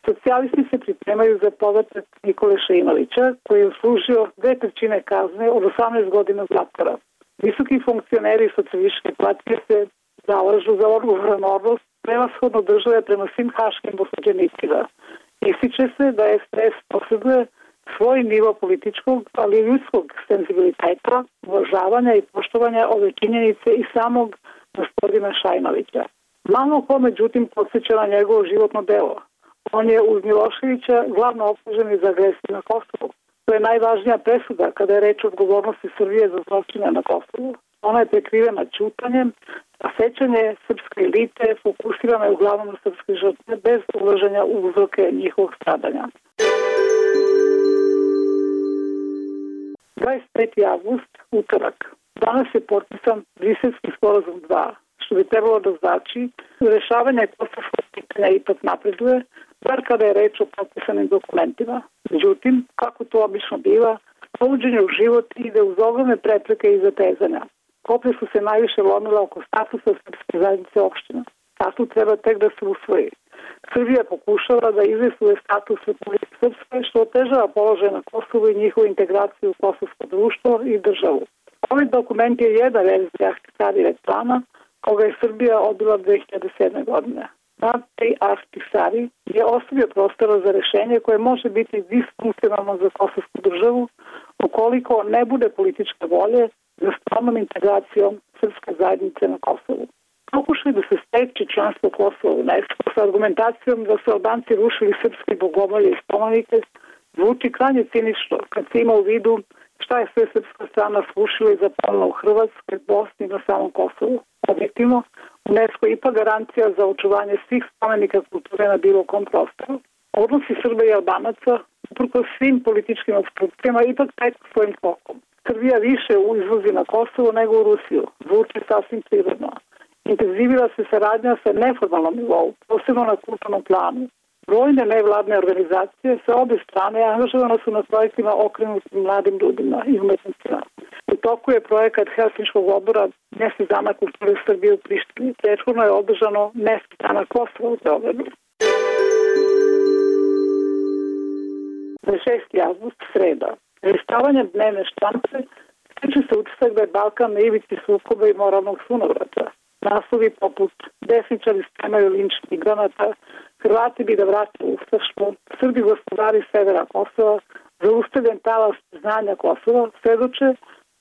[SPEAKER 7] Socijalisti se pripremaju za povratak Nikole Šeinovića, koji je uslužio 2/3 kazne od 18 godina zatvora. Visoki funkcioneri socijalističke partije se zalažu za odgovoran odnos prevashodno države prema svim haškim osuđenicima. Ističe se da SPS posjeduje svoj nivo političkog, ali i ljudskog senzibiliteta, uvažavanja i poštovanja ove činjenice i samog gospodina Šajnovića. Malo ko, međutim, podsjeća na njegovo životno delo. On je uz Miloševića glavno optužen za agresiju na Kosovu. To je najvažnija presuda kada je reč o odgovornosti Srbije za zločine na Kosovu. Ona je prekrivena ćutanjem, a sećanje srpske elite fokusirano je uglavnom na srpske žrtve bez ulaženja u uzroke njihovog stradanja. 25. avgust, utorak. Danas je potpisan Briselski sporazum 2, što bi trebalo da znači rešavanje kosovskog pitanja ipak napreduje, bar kada je reč o potpisanim dokumentima. Međutim, kako to obično biva, povođenje u život ide uz ogromne prepreke i zatezanja. Koplje su se najviše lomila oko statusa srpske zajednice opština. Statut treba tek da se usvoji. Srbija pokušava da izvestuje status Republike Srpske, što otežava položaj na Kosovu i njihovu integraciju u kosovsko društvo i državu. Ovaj dokument je jedna verzija Ahtisarijev plana, koga je Srbija odbila 2007. godine. Natej Ahtisari je ostavio prostora za rešenje koje može biti disfunkcionalno za kosovsku državu ukoliko ne bude političke volje za stalnom integracijom srpske zajednice na Kosovu. Pokušaj da se steče članstvo Kosova u UNESCO sa argumentacijom da su Albanci rušili srpske bogomolje i spomenike zvuči krajnje cinično kad se ima u vidu šta je sve srpska strana srušila i zapalila u Hrvatskoj, Bosni i na samom Kosovu. Objektivno, UNESCO je ipak garancija za očuvanje svih spomenika kulture na bilo kom prostoru. Odnosi Srba i Albanaca, uprkos svim političkim obstrukcijama, ipak teku svojim tokom. Srbija više izvozi na Kosovo nego u Rusiju. Zvuči sasvim prirodno. Intenzivira se saradnja sa neformalnom nivou, posebno na kulturnom planu. Brojne nevladne organizacije sa obe strane angažovane su na projektima okrenutim mladim ljudima i umetnicima. U toku je projekat Helsinškog odbora Mjesec dana kulture Srbije u Prištini. Prethodno je održano Mjesec dana Kosova u Beogradu. 26. avgust, sreda. Listavanjem dnevne štampe stiče se utisak da je Balkan na ivici sukoba i moralnog sunovrata. Naslovi poput desničari spremaju linč migranata, Hrvati bi da vrate ustaštvo, Srbi gospodari severa Kosova, zaustavljen talas znanja Kosova, svedoče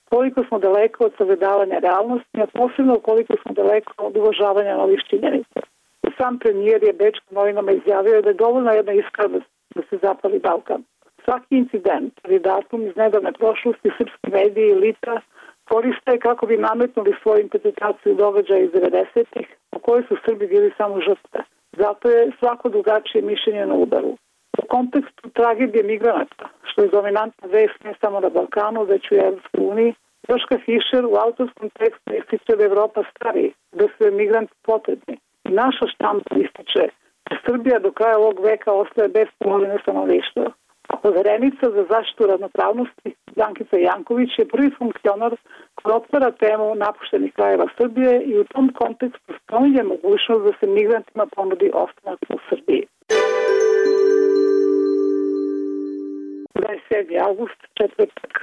[SPEAKER 7] koliko smo daleko od sagledavanja realnosti, a posebno koliko smo daleko od uvažavanja novih činjenica. Sam premijer je bečkim novinama izjavio da je dovoljna jedna iskra da se zapali Balkan. Svaki incident ili datum iz nedavne prošlosti srpski mediji i elita koriste kako bi nametnuli svoju interpretaciju događaja iz 90-ih, u kojoj su Srbi bili samo žrtve. Zato je svako drugačije mišljenje na udaru. U kontekstu tragedije migranata, što je dominantna vest ne samo na Balkanu, već u Evropskoj uniji, Joška Fischer u autorskom tekstu ističe da Evropa stari, da su migranti potrebni. I naša štampa ističe da Srbija do kraja ovog veka ostaje bez polovine stanovništva. Poverenica za zaštitu ravnopravnosti Brankica Janković je prvi funkcionar koji otvara temu napuštenih krajeva Srbije i u tom kontekstu spominje mogućnost da se migrantima ponudi ostanak u Srbiji. 27. avgust, četvrtak.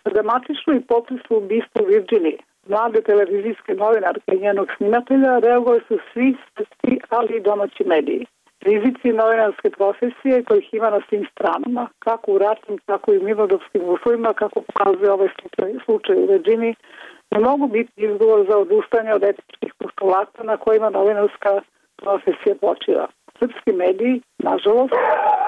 [SPEAKER 7] Dramatično i potresno ubistvo u Virginiji. Mlade televizijske novinarke i njenog snimatelja reagovali su svi svetski, ali i domaći mediji. Rizici novinarske profesije kojih ima na svim stranama, kako u ratnim, tako i u mirnodopskim uslovima, kako pokazuje ovaj slučaj u Virginiji, ne mogu biti izgovor za odustanje od etičkih postulata na kojima novinarska profesija počiva. Srpski mediji, nažalost,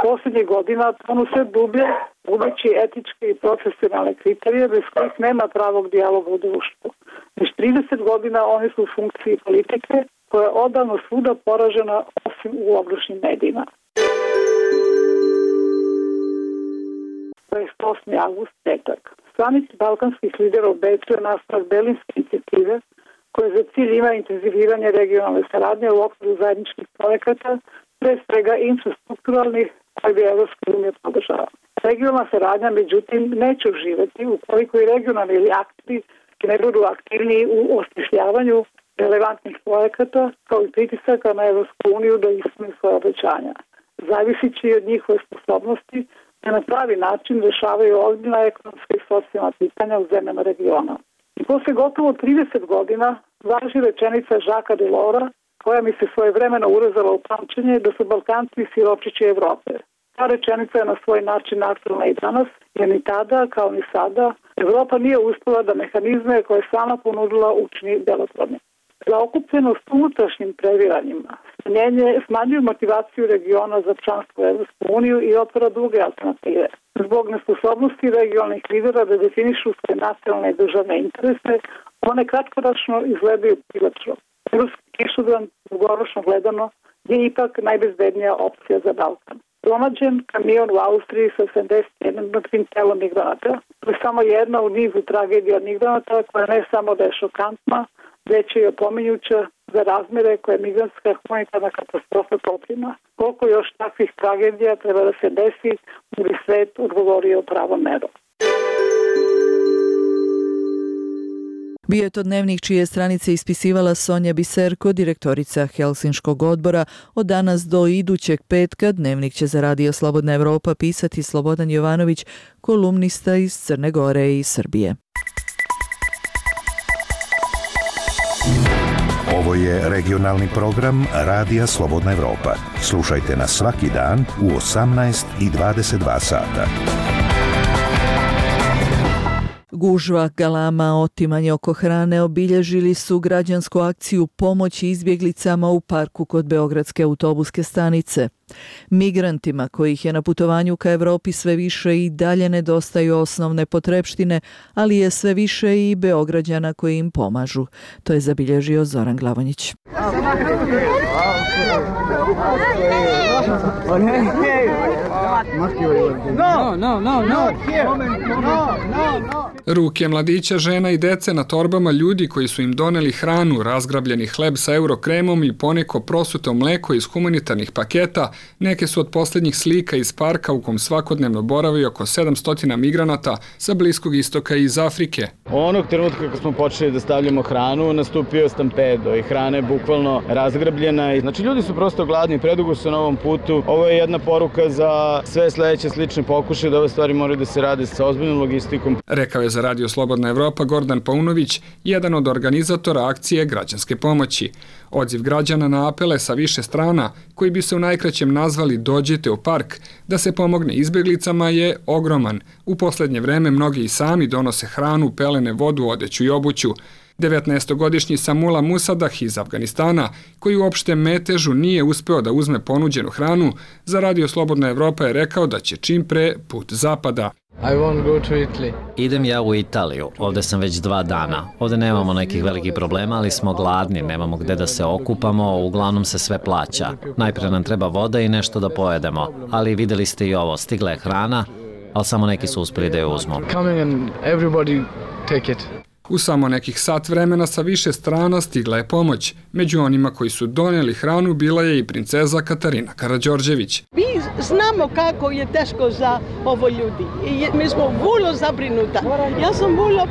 [SPEAKER 7] posljednjih godina tonu sve dublje, gubeći etičke i profesionalne kriterije bez kojih nema pravog dijaloga u društvu. Već 30 godina oni su u funkciji politike koja je odavno svuda poražena osim u oglušnim medijima. 28. avgust, petak. Samit balkanskih lidera u Beču je nastavak Berlinske inicijative koje za cilj ima intenziviranje regionalne saradnje u okviru zajedničkih projekata, pre svega infrastrukturalnih koje bi Evropska unija podržava. Regionalna saradnja, međutim, neće uživati ukoliko i regionalni akteri ne budu aktivniji u osmišljavanju relevantnih projekata kao i pritisaka na Evropsku uniju da ispune svoje obećanja. Zavisit će i od njihove sposobnosti da na pravi način rešavaju ozbiljna ekonomska i socijalna pitanja u zemljama regiona. I posle gotovo 30 godina važi rečenica Žaka Delora, koja mi se svojevremeno urezala u pamćenje da su Balkanci siročići Evrope. Ta rečenica je na svoj način aktualna i danas, jer ni tada, kao ni sada, Evropa nije uspela da mehanizme koje je sama ponudila učini delotvornim. Zaokupljenost unutrašnjim previranjima smanjuju motivaciju regiona za članstvo u Evropsku uniju i otvara druge alternative. Zbog nesposobnosti regionalnih lidera da definišu svoje nacionalne i državne interese, one kratkoročno izgledaju privlačno. Ruski kišobran, dugoročno gledano, je ipak najbezbednija opcija za Balkan. Pronađen kamion u Austriji sa 71 mrtvim telom migranata. To je samo jedna u nizu tragedija migranata koja ne samo da je šokantna, već je i opominjuća za razmere koje migrantska humanitarna katastrofa poprima. Koliko još takvih tragedija treba da se desi da bi svet odgovorio pravom merom.
[SPEAKER 27] Bio je to dnevnik čije stranice ispisivala Sonja Biserko, direktorica Helsinškog odbora. Od danas do idućeg petka dnevnik će za Radio Slobodna Evropa pisati Slobodan Jovanović, kolumnista iz Crne Gore i Srbije.
[SPEAKER 12] Ovo je regionalni program Radija Slobodna Evropa. Slušajte nas svaki dan u 18 i 22 sata.
[SPEAKER 27] Gužva, galama, otimanje oko hrane obilježili su građansku akciju pomoći izbjeglicama u parku kod Beogradske autobuske stanice. Migrantima kojih je na putovanju ka Evropi sve više i dalje nedostaju osnovne potrepštine, ali je sve više i Beograđana koji im pomažu. To je zabilježio Zoran Glavonjić.
[SPEAKER 8] Ruke mladića, žena i dece na torbama ljudi koji su im doneli hranu, razgrabljeni hleb sa eurokremom i poneko prosuto mleko iz humanitarnih paketa, neke su od posljednjih slika iz parka u kom svakodnevno boravi oko 700 migranata sa Bliskog istoka i iz Afrike.
[SPEAKER 10] Onog trenutka kad smo počeli da stavljamo hranu, nastupio stampedo i hrana je bukvalno razgrabljena. Znači ljudi su prosto gladni, predugo su na ovom putu. Ovo je jedna poruka za sve sledeće slične pokušaje da ove stvari moraju da se rade sa ozbiljnom logistikom.
[SPEAKER 8] Rekao je za Radio Slobodna Evropa Gordan Paunović, jedan od organizatora akcije građanske pomoći. Odziv građana na apele sa više strana, koji bi se u najkraćem nazvali Dođite u park, da se pomogne izbjeglicama je ogroman. U posljednje vreme mnogi i sami donose hranu, pelene, vodu, odeću i obuću. 19-godišnji Samula Musadah iz Afganistana, koji u opštem metežu nije uspeo da uzme ponuđenu hranu, za Radio Slobodna Evropa je rekao da će čim pre put zapada.
[SPEAKER 13] Idem ja u Italiju, ovdje sam već 2 dana. Ovdje nemamo nekih velikih problema, ali smo gladni, nemamo gde da se okupamo, uglavnom se sve plaća. Najprije nam treba voda i nešto da pojedemo, ali vidjeli ste i ovo, stigla je hrana, ali samo neki su uspjeli da je uzmu.
[SPEAKER 8] U samo nekih sat vremena sa više strana stigla je pomoć. Među onima koji su donijeli hranu bila je i princeza Katarina Karađorđević.
[SPEAKER 14] Mi znamo kako je teško za ovo ljudi i mi smo vrlo zabrinuta. Ja sam vrlo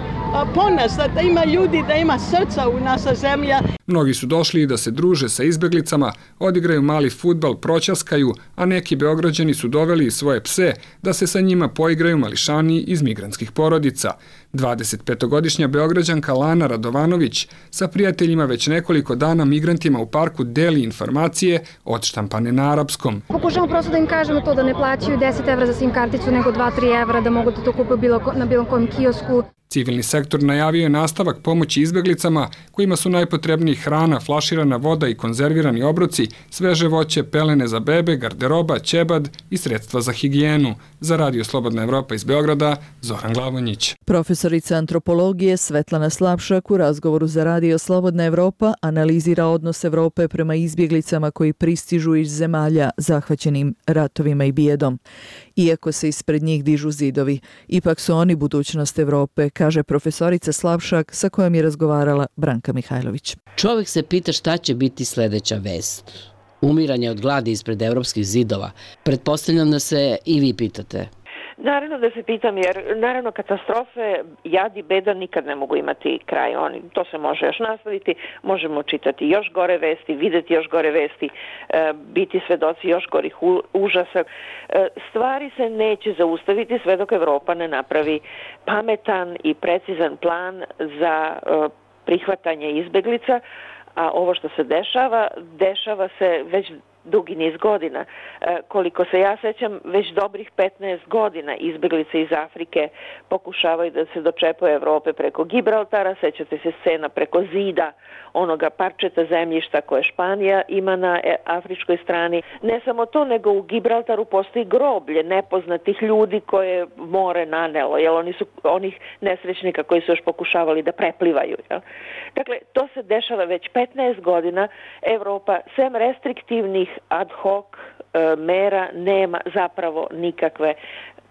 [SPEAKER 14] ponosna da ima ljudi, da ima srca u naša zemlja.
[SPEAKER 8] Mnogi su došli da se druže sa izbjeglicama, odigraju mali fudbal, proćaskaju, a neki Beograđani su doveli svoje pse da se sa njima poigraju mališani iz migrantskih porodica. 25-godišnja Beograđanka Lana Radovanović sa prijateljima već nekoliko dana migrantima u parku deli informacije odštampane na arapskom.
[SPEAKER 15] Pokušamo prosto da im kažemo to da ne plaćaju 10 evra za SIM karticu nego 2-3 evra, da mogu da to kupe na bilo kojem kiosku.
[SPEAKER 8] Civilni sektor najavio je nastavak pomoći izbeglicama kojima su najpotrebniji hrana, flaširana voda i konzervirani obroci, sveže voće, pelene za bebe, garderoba, ćebad i sredstva za higijenu. Za Radio Slobodna Evropa iz Beograda, Zoran Glavonjić.
[SPEAKER 27] Profesorica antropologije Svetlana Slapšak u razgovoru za Radio Slobodna Evropa analizira odnos Evrope prema izbjeglicama koji pristižu iz zemalja zahvaćenim ratovima i bijedom. Iako se ispred njih dižu zidovi, ipak su oni budućnost Evrope, kaže profesorica Slapšak sa kojom je razgovarala Branka Mihajlović.
[SPEAKER 1] Čovjek se pita šta će biti sljedeća vest. Umiranje od gladi ispred evropskih zidova. Pretpostavljam da se i vi pitate.
[SPEAKER 28] Naravno da se pitam, jer naravno katastrofe, jad i beda nikad ne mogu imati kraj. To se može još nastaviti, možemo čitati još gore vesti, vidjeti još gore vesti, biti svedoci još gorih užasa. Stvari se neće zaustaviti sve dok Evropa ne napravi pametan i precizan plan za prihvatanje izbeglica, a ovo što se dešava se već dugi niz godina. Koliko se ja sećam, već dobrih 15 godina izbeglice iz Afrike pokušavaju da se dočepaju Evrope preko Gibraltara, sećate se scena preko zida, onoga parčeta zemljišta koje Španija ima na afričkoj strani. Ne samo to, nego u Gibraltaru postoji groblje nepoznatih ljudi koje more nanelo, jer oni su onih nesrećnika koji su još pokušavali da preplivaju. Jel? Dakle, to se dešava već 15 godina. Evropa, sem restriktivnih ad hoc mera, nema zapravo nikakve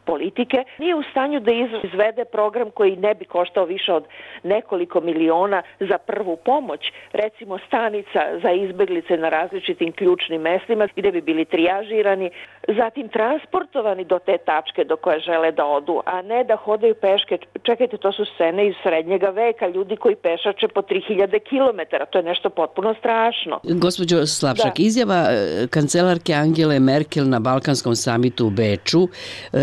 [SPEAKER 28] politike. Nije u stanju da izvede program koji ne bi koštao više od nekoliko miliona za prvu pomoć, recimo stanica za izbeglice na različitim ključnim mestima gdje bi bili trijažirani, zatim transportovani do te tačke do koje žele da odu, a ne da hodaju peške. Čekajte, to su scene iz srednjega veka, ljudi koji pešače po 3000 km, to je nešto potpuno strašno.
[SPEAKER 1] Gospođo Slapšak, izjava kancelarke Angele Merkel na Balkanskom samitu u Beču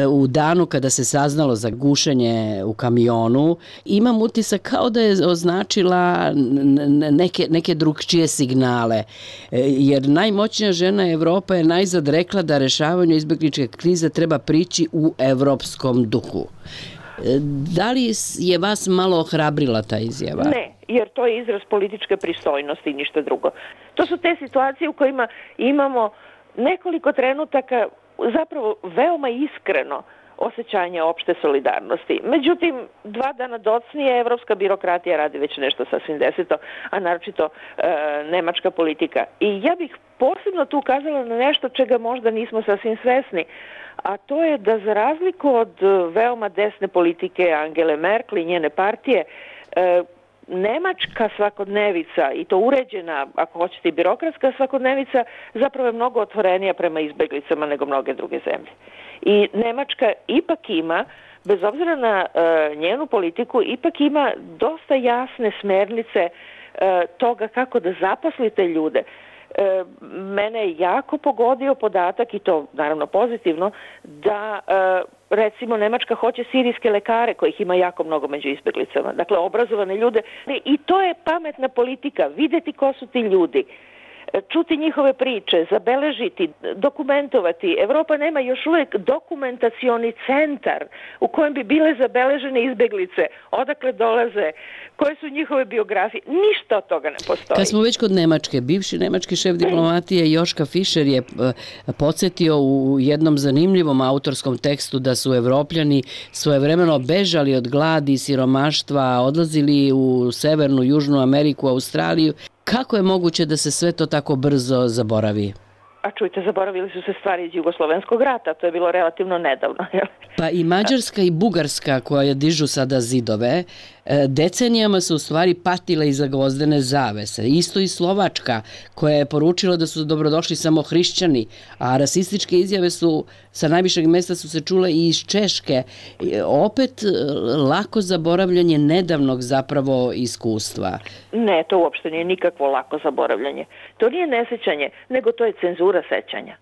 [SPEAKER 1] u danu kada se saznalo za gušenje u kamionu, imam utisak kao da je označila neke drugčije signale. Jer najmoćnija žena Evropa je najzad rekla da rešavanju izbegličke krize treba prići u evropskom duhu. Da li je vas malo ohrabrila ta izjava?
[SPEAKER 28] Ne, jer to je izraz političke pristojnosti i ništa drugo. To su te situacije u kojima imamo nekoliko trenutaka zapravo veoma iskreno osjećanje opšte solidarnosti. Međutim, 2 dana docnije evropska birokratija radi već nešto sasvim deseto, a naročito nemačka politika. I ja bih posebno tu ukazala na nešto čega možda nismo sasvim svesni, a to je da za razliku od veoma desne politike Angele Merkel i njene partije, nemačka svakodnevica, i to uređena, ako hoćete i birokratska svakodnevica, zapravo je mnogo otvorenija prema izbeglicama nego mnoge druge zemlje. I Nemačka ipak ima, bez obzira na njenu politiku, ipak ima dosta jasne smernice toga kako da zaposlite ljude. Mene je jako pogodio podatak, i to naravno pozitivno, da recimo Nemačka hoće sirijske lekare, kojih ima jako mnogo među izbeglicama, dakle obrazovane ljude, i to je pametna politika, vidjeti ko su ti ljudi, čuti njihove priče, zabeležiti, dokumentovati. Evropa nema još uvijek dokumentacioni centar u kojem bi bile zabeležene izbeglice, odakle dolaze, koje su njihove biografije. Ništa od toga ne postoji.
[SPEAKER 1] Kad smo već kod Nemačke, bivši nemački šef diplomatije Joška Fischer je podsjetio u jednom zanimljivom autorskom tekstu da su Evropljani svojevremeno bežali od gladi i siromaštva, odlazili u Severnu, Južnu Ameriku, Australiju. Kako je moguće da se sve to tako brzo zaboravi?
[SPEAKER 28] A čujte, zaboravili su se stvari iz Jugoslovenskog rata, to je bilo relativno nedavno.
[SPEAKER 1] Pa i Mađarska i Bugarska, koja dižu sada zidove, decenijama su u stvari patile iza gvozdene zavese. Isto i Slovačka, koja je poručila da su dobrodošli samo hrišćani, a rasističke izjave su sa najvišeg mjesta su se čule i iz Češke. Opet lako zaboravljanje nedavnog zapravo iskustva.
[SPEAKER 28] Ne, to uopšte nije nikakvo lako zaboravljanje. To nije nesjećanje, nego to je cenzura sećanja.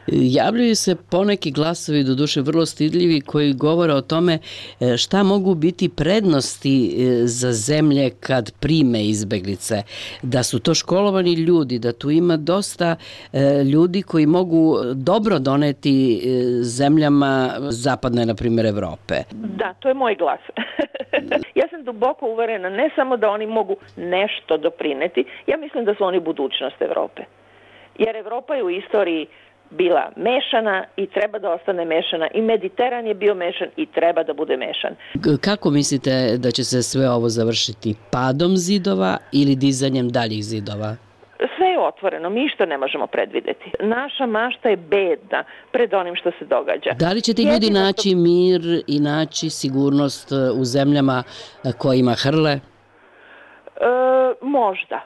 [SPEAKER 1] Javljaju se poneki glasovi, doduše vrlo stidljivi, koji govore o tome šta mogu biti prednosti za zemlje kad prime izbeglice. Da su to školovani ljudi, da tu ima dosta ljudi koji mogu dobro doneti zemljama zapadne, na primjer, Evrope.
[SPEAKER 28] Da, to je moj glas. Ja sam duboko uverena, ne samo da oni mogu nešto doprineti, ja mislim da su oni budućnost Evrope. Jer Evropa je u istoriji bila mešana i treba da ostane mešana. I Mediteran je bio mešan i treba da bude mešan.
[SPEAKER 1] Kako mislite da će se sve ovo završiti? Padom zidova ili dizanjem daljih zidova?
[SPEAKER 28] Sve je otvoreno, mi što ne možemo predvideti. Naša mašta je bedna pred onim što se događa.
[SPEAKER 1] Da li će ti ljudi naći mir i naći sigurnost u zemljama kojima hrle?
[SPEAKER 28] Možda.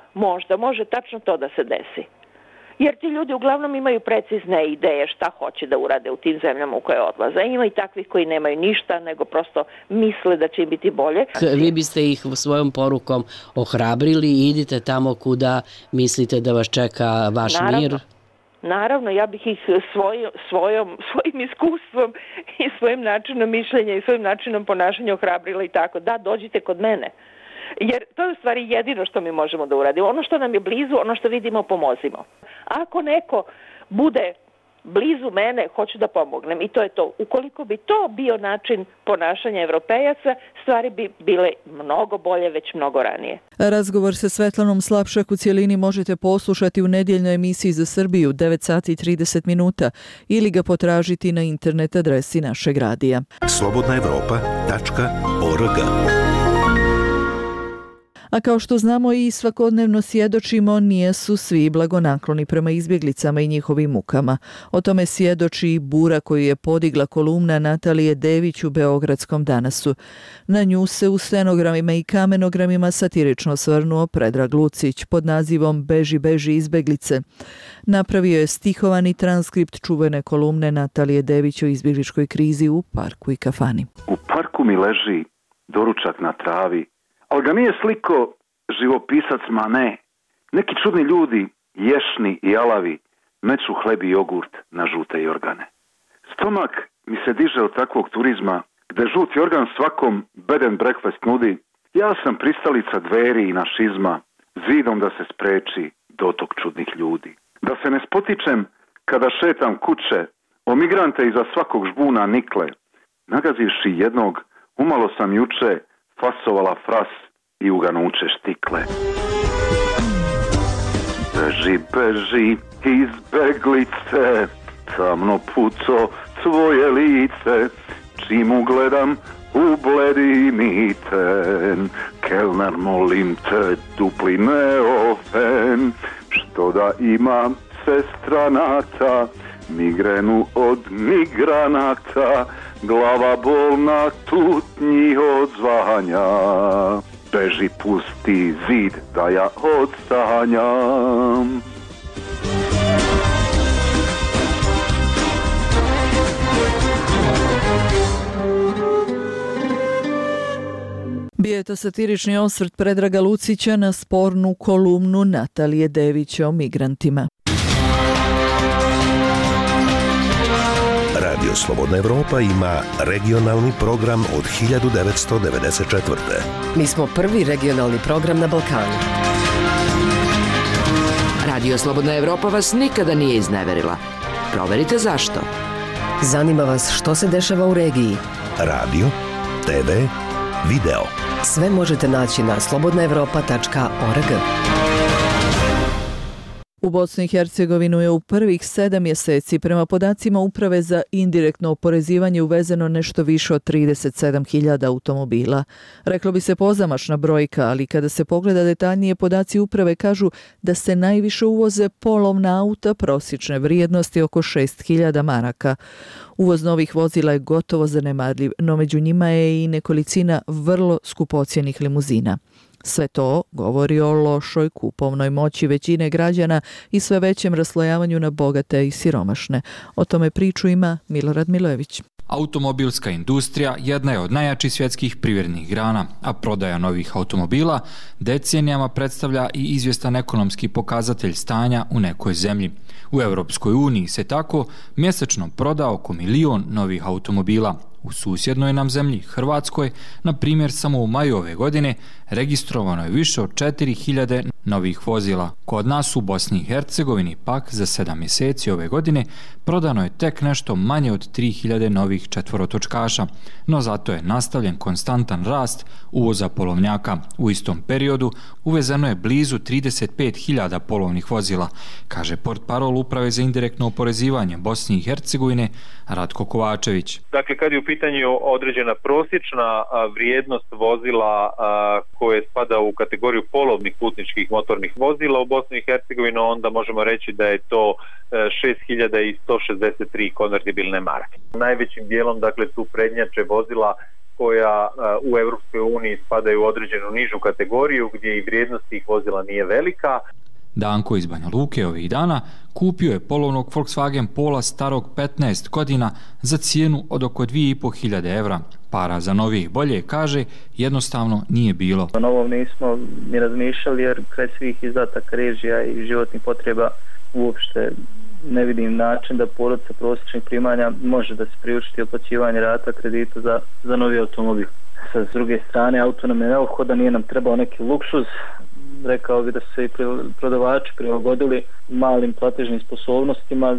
[SPEAKER 28] Može tačno to da se desi. Jer ti ljudi uglavnom imaju precizne ideje šta hoće da urade u tim zemljama u koje odlaze. Ima i takvih koji nemaju ništa, nego prosto misle da će im biti bolje.
[SPEAKER 1] Vi biste ih svojom porukom ohrabrili i idite tamo kuda mislite da vas čeka vaš mir?
[SPEAKER 28] Naravno, ja bih ih svojim iskustvom i svojim načinom mišljenja i svojim načinom ponašanja ohrabrila i tako. Da, dođite kod mene. Jer to je u stvari jedino što mi možemo da uradimo. Ono što nam je blizu, ono što vidimo, pomozimo. Ako neko bude blizu mene, hoću da pomognem. I to je to. Ukoliko bi to bio način ponašanja Evropejaca, stvari bi bile mnogo bolje već mnogo ranije.
[SPEAKER 27] Razgovor sa Svetlanom Slapšak u cijelini možete poslušati u nedjeljnoj emisiji za Srbiju 9 sati i 30 minuta ili ga potražiti na internet adresi našeg radija.
[SPEAKER 12] slobodnaevropa.org.
[SPEAKER 27] A kao što znamo i svakodnevno svjedočimo, nijesu svi blagonakloni prema izbjeglicama i njihovim mukama. O tome svjedoči i bura koju je podigla kolumna Natalije Dević u Beogradskom Danasu. Na nju se u stenogramima i kamenogramima satirično svrnuo Predrag Lucić pod nazivom Beži, beži izbjeglice. Napravio je stihovani transkript čuvene kolumne Natalije Dević o izbjegličkoj krizi u parku i kafani.
[SPEAKER 15] U parku mi leži doručak na travi, ali ga nije sliko živopisac, ma ne. Neki čudni ljudi, ješni i alavi, meću hleb i jogurt na žute jorgane. Stomak mi se diže od takvog turizma, gde žuti organ svakom bed and breakfast nudi. Ja sam pristalica dveri i našizma, zidom da se spreči dotok čudnih ljudi. Da se ne spotičem kada šetam kuće, o migrante iza svakog žbuna nikle. Nagazivši jednog, umalo sam juče fasovala fras i uganuće štikle. Beži, beži, izbeglice, tamno puco tvoje lice, čim ugledam u bledi miten. Kelner, molim te, dupli neofen, što da ima sestra Nata, migrenu od migranata, glava bolna tutnji od zvanja. Beži, pusti zid da ja odstanjam.
[SPEAKER 27] Bio je to satirični osvrt Predraga Lucića na spornu kolumnu Natalije Dević o migrantima.
[SPEAKER 12] Radio Slobodna Evropa ima regionalni program od 1994.
[SPEAKER 26] Mi smo prvi regionalni program na Balkanu. Radio Slobodna Evropa vas nikada nije izneverila. Proverite zašto. Zanima vas što se dešava u regiji.
[SPEAKER 12] Radio, TV, video.
[SPEAKER 26] Sve možete naći na slobodnaevropa.org.
[SPEAKER 27] U Bosnu i Hercegovinu je u prvih 7 mjeseci prema podacima Uprave za indirektno oporezivanje uvezeno nešto više od 37.000 automobila. Reklo bi se pozamašna brojka, ali kada se pogleda detaljnije, podaci Uprave kažu da se najviše uvoze polovna auta prosječne vrijednosti oko 6.000 maraka. Uvoz novih vozila je gotovo zanemarljiv, no među njima je i nekolicina vrlo skupocjenih limuzina. Sve to govori o lošoj kupovnoj moći većine građana i sve većem raslojavanju na bogate i siromašne. O tome priču ima Milorad Milojević.
[SPEAKER 16] Automobilska industrija jedna je od najjačih svjetskih privrednih grana, a prodaja novih automobila decenijama predstavlja i izvjestan ekonomski pokazatelj stanja u nekoj zemlji. U Europskoj uniji se tako mjesečno proda oko 1 milion novih automobila. U susjednoj nam zemlji, Hrvatskoj, na primjer samo u maju ove godine, registrovano je više od 4000 novih vozila. Kod nas u Bosni i Hercegovini pak za 7 mjeseci ove godine prodano je tek nešto manje od 3000 novih četvorotočkaša, no zato je nastavljen konstantan rast uvoza polovnjaka. U istom periodu uvezeno je blizu 35.000 polovnih vozila, kaže portparol Uprave za indirektno oporezivanje Bosne i Hercegovine Ratko Kovačević.
[SPEAKER 17] Dakle, kad je u pitanju određena prosječna vrijednost vozila koje spada u kategoriju polovnih putničkih motornih vozila u Bosni i Hercegovini, onda možemo reći da je to 6163 konvertibilne marke. Najvećim dijelom, dakle, tu prednjače vozila koja u Europskoj uniji spadaju u određenu nižu kategoriju gdje i vrijednost tih vozila nije velika.
[SPEAKER 16] Danko iz Banja Luke ovih dana kupio je polovnog Volkswagen Pola starog 15 godina za cijenu od oko 2500 evra. Para za novih bolje, kaže, jednostavno nije bilo.
[SPEAKER 18] O novom nismo ni razmišljali jer kraj svih izdataka režija i životnih potreba uopšte ne vidim način da porodica prosječnih primanja može da se priučiti otplaćivanje rata kredita za novi automobil. Sa druge strane, auto nam je neophodan, nije nam trebao neki luksuz. Rekao bi da su se i prodavači prilagodili malim platežnim sposobnostima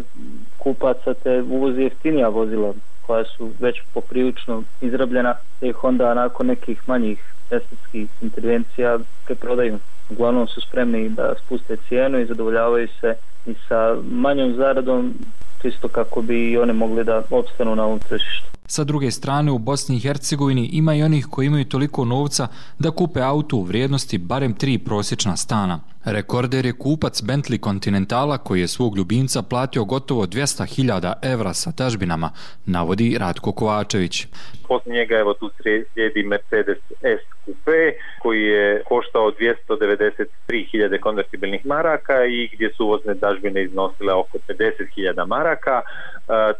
[SPEAKER 18] kupaca te uvozi jeftinija vozila koja su već poprilično izrabljena, te ih onda nakon nekih manjih estetskih intervencija preprodaju. Uglavnom su spremni da spuste cijenu i zadovoljavaju se i sa manjom zaradom, čisto kako bi i one mogli da opstanu na ovom tržištu.
[SPEAKER 16] Sa druge strane, u Bosni i Hercegovini ima i onih koji imaju toliko novca da kupe auto u vrijednosti barem 3 prosječna stana. Rekorder je kupac Bentley Continentala koji je svog ljubimca platio gotovo 200.000 evra sa dažbinama, navodi Ratko Kovačević.
[SPEAKER 17] Poslije njega evo tu slijedi Mercedes S Coupe koji je koštao 293.000 konvertibilnih maraka i gdje su uvozne dažbine iznosile oko 50.000 maraka.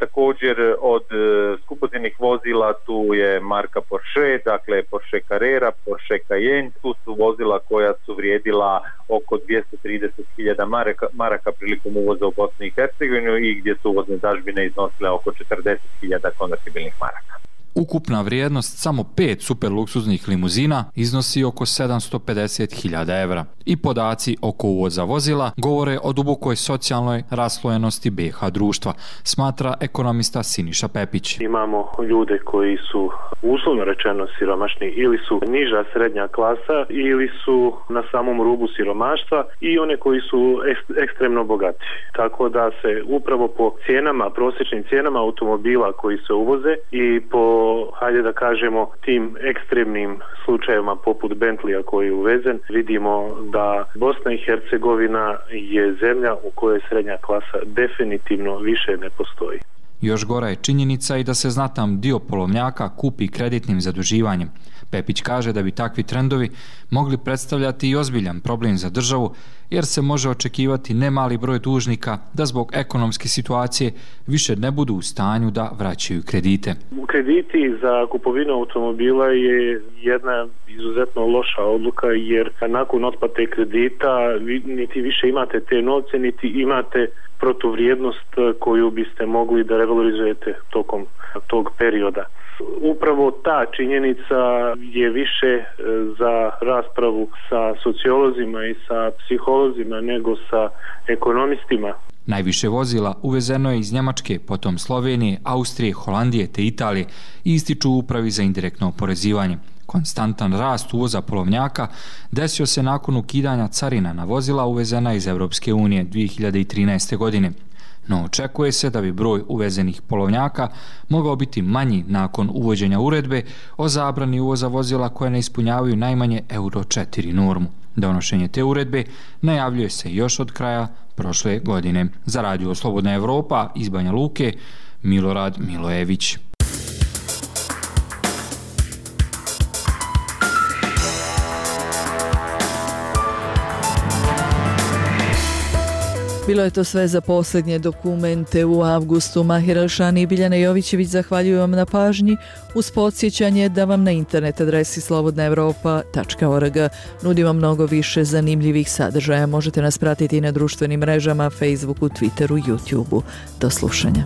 [SPEAKER 17] Također od skupocjenih vozila tu je marka Porsche, dakle Porsche Carrera, Porsche Cayenne, tu su vozila koja su vrijedila oko 230.000 maraka prilikom uvoza u Bosni i Hercegovinu i gdje su uvozne dažbine iznosile oko 40.000 konvertibilnih maraka.
[SPEAKER 16] Ukupna vrijednost samo 5 superluksuznih limuzina iznosi oko 750.000 evra. I podaci oko uvoza vozila govore o dubokoj socijalnoj raslojenosti BiH društva, smatra ekonomista Siniša Pepić.
[SPEAKER 19] Imamo ljude koji su uslovno rečeno siromašni ili su niža srednja klasa ili su na samom rubu siromaštva i one koji su ekstremno bogati. Tako da se upravo po cijenama, prosječnim cijenama automobila koji se uvoze i po hajde da kažemo tim ekstremnim slučajevima poput Bentleya koji je uvezen, vidimo da Bosna i Hercegovina je zemlja u kojoj srednja klasa definitivno više ne postoji.
[SPEAKER 16] Još gora je činjenica i da se znatan dio polovnjaka kupi kreditnim zaduživanjem. Pepić kaže da bi takvi trendovi mogli predstavljati i ozbiljan problem za državu, jer se može očekivati nemali broj dužnika da zbog ekonomske situacije više ne budu u stanju da vraćaju kredite.
[SPEAKER 19] Krediti za kupovinu automobila je jedna izuzetno loša odluka jer nakon otplate kredita niti više imate te novce, niti imate protuvrijednost koju biste mogli da revalorizujete tokom tog perioda. Upravo ta činjenica je više za raspravu sa sociolozima i sa psiholozima nego sa ekonomistima.
[SPEAKER 16] Najviše vozila uvezeno je iz Njemačke, potom Slovenije, Austrije, Holandije te Italije i ističu u Upravi za indirektno oporezivanje. Konstantan rast uvoza polovnjaka desio se nakon ukidanja carina na vozila uvezena iz Europske unije 2013. godine. No očekuje se da bi broj uvezenih polovnjaka mogao biti manji nakon uvođenja uredbe o zabrani uvoza vozila koje ne ispunjavaju najmanje Euro 4 normu. Donošenje te uredbe najavljuje se još od kraja prošle godine. Za Radio Slobodna Evropa iz Banja Luke, Milorad Milojević.
[SPEAKER 27] Bilo je to sve za posljednje dokumente u avgustu. Mahir Elšani i Biljana Jovićević zahvaljuju vam na pažnji uz podsjećanje da vam na internet adresi slobodnaevropa.org nudimo mnogo više zanimljivih sadržaja. Možete nas pratiti i na društvenim mrežama, Facebooku, Twitteru, YouTubeu. Do slušanja.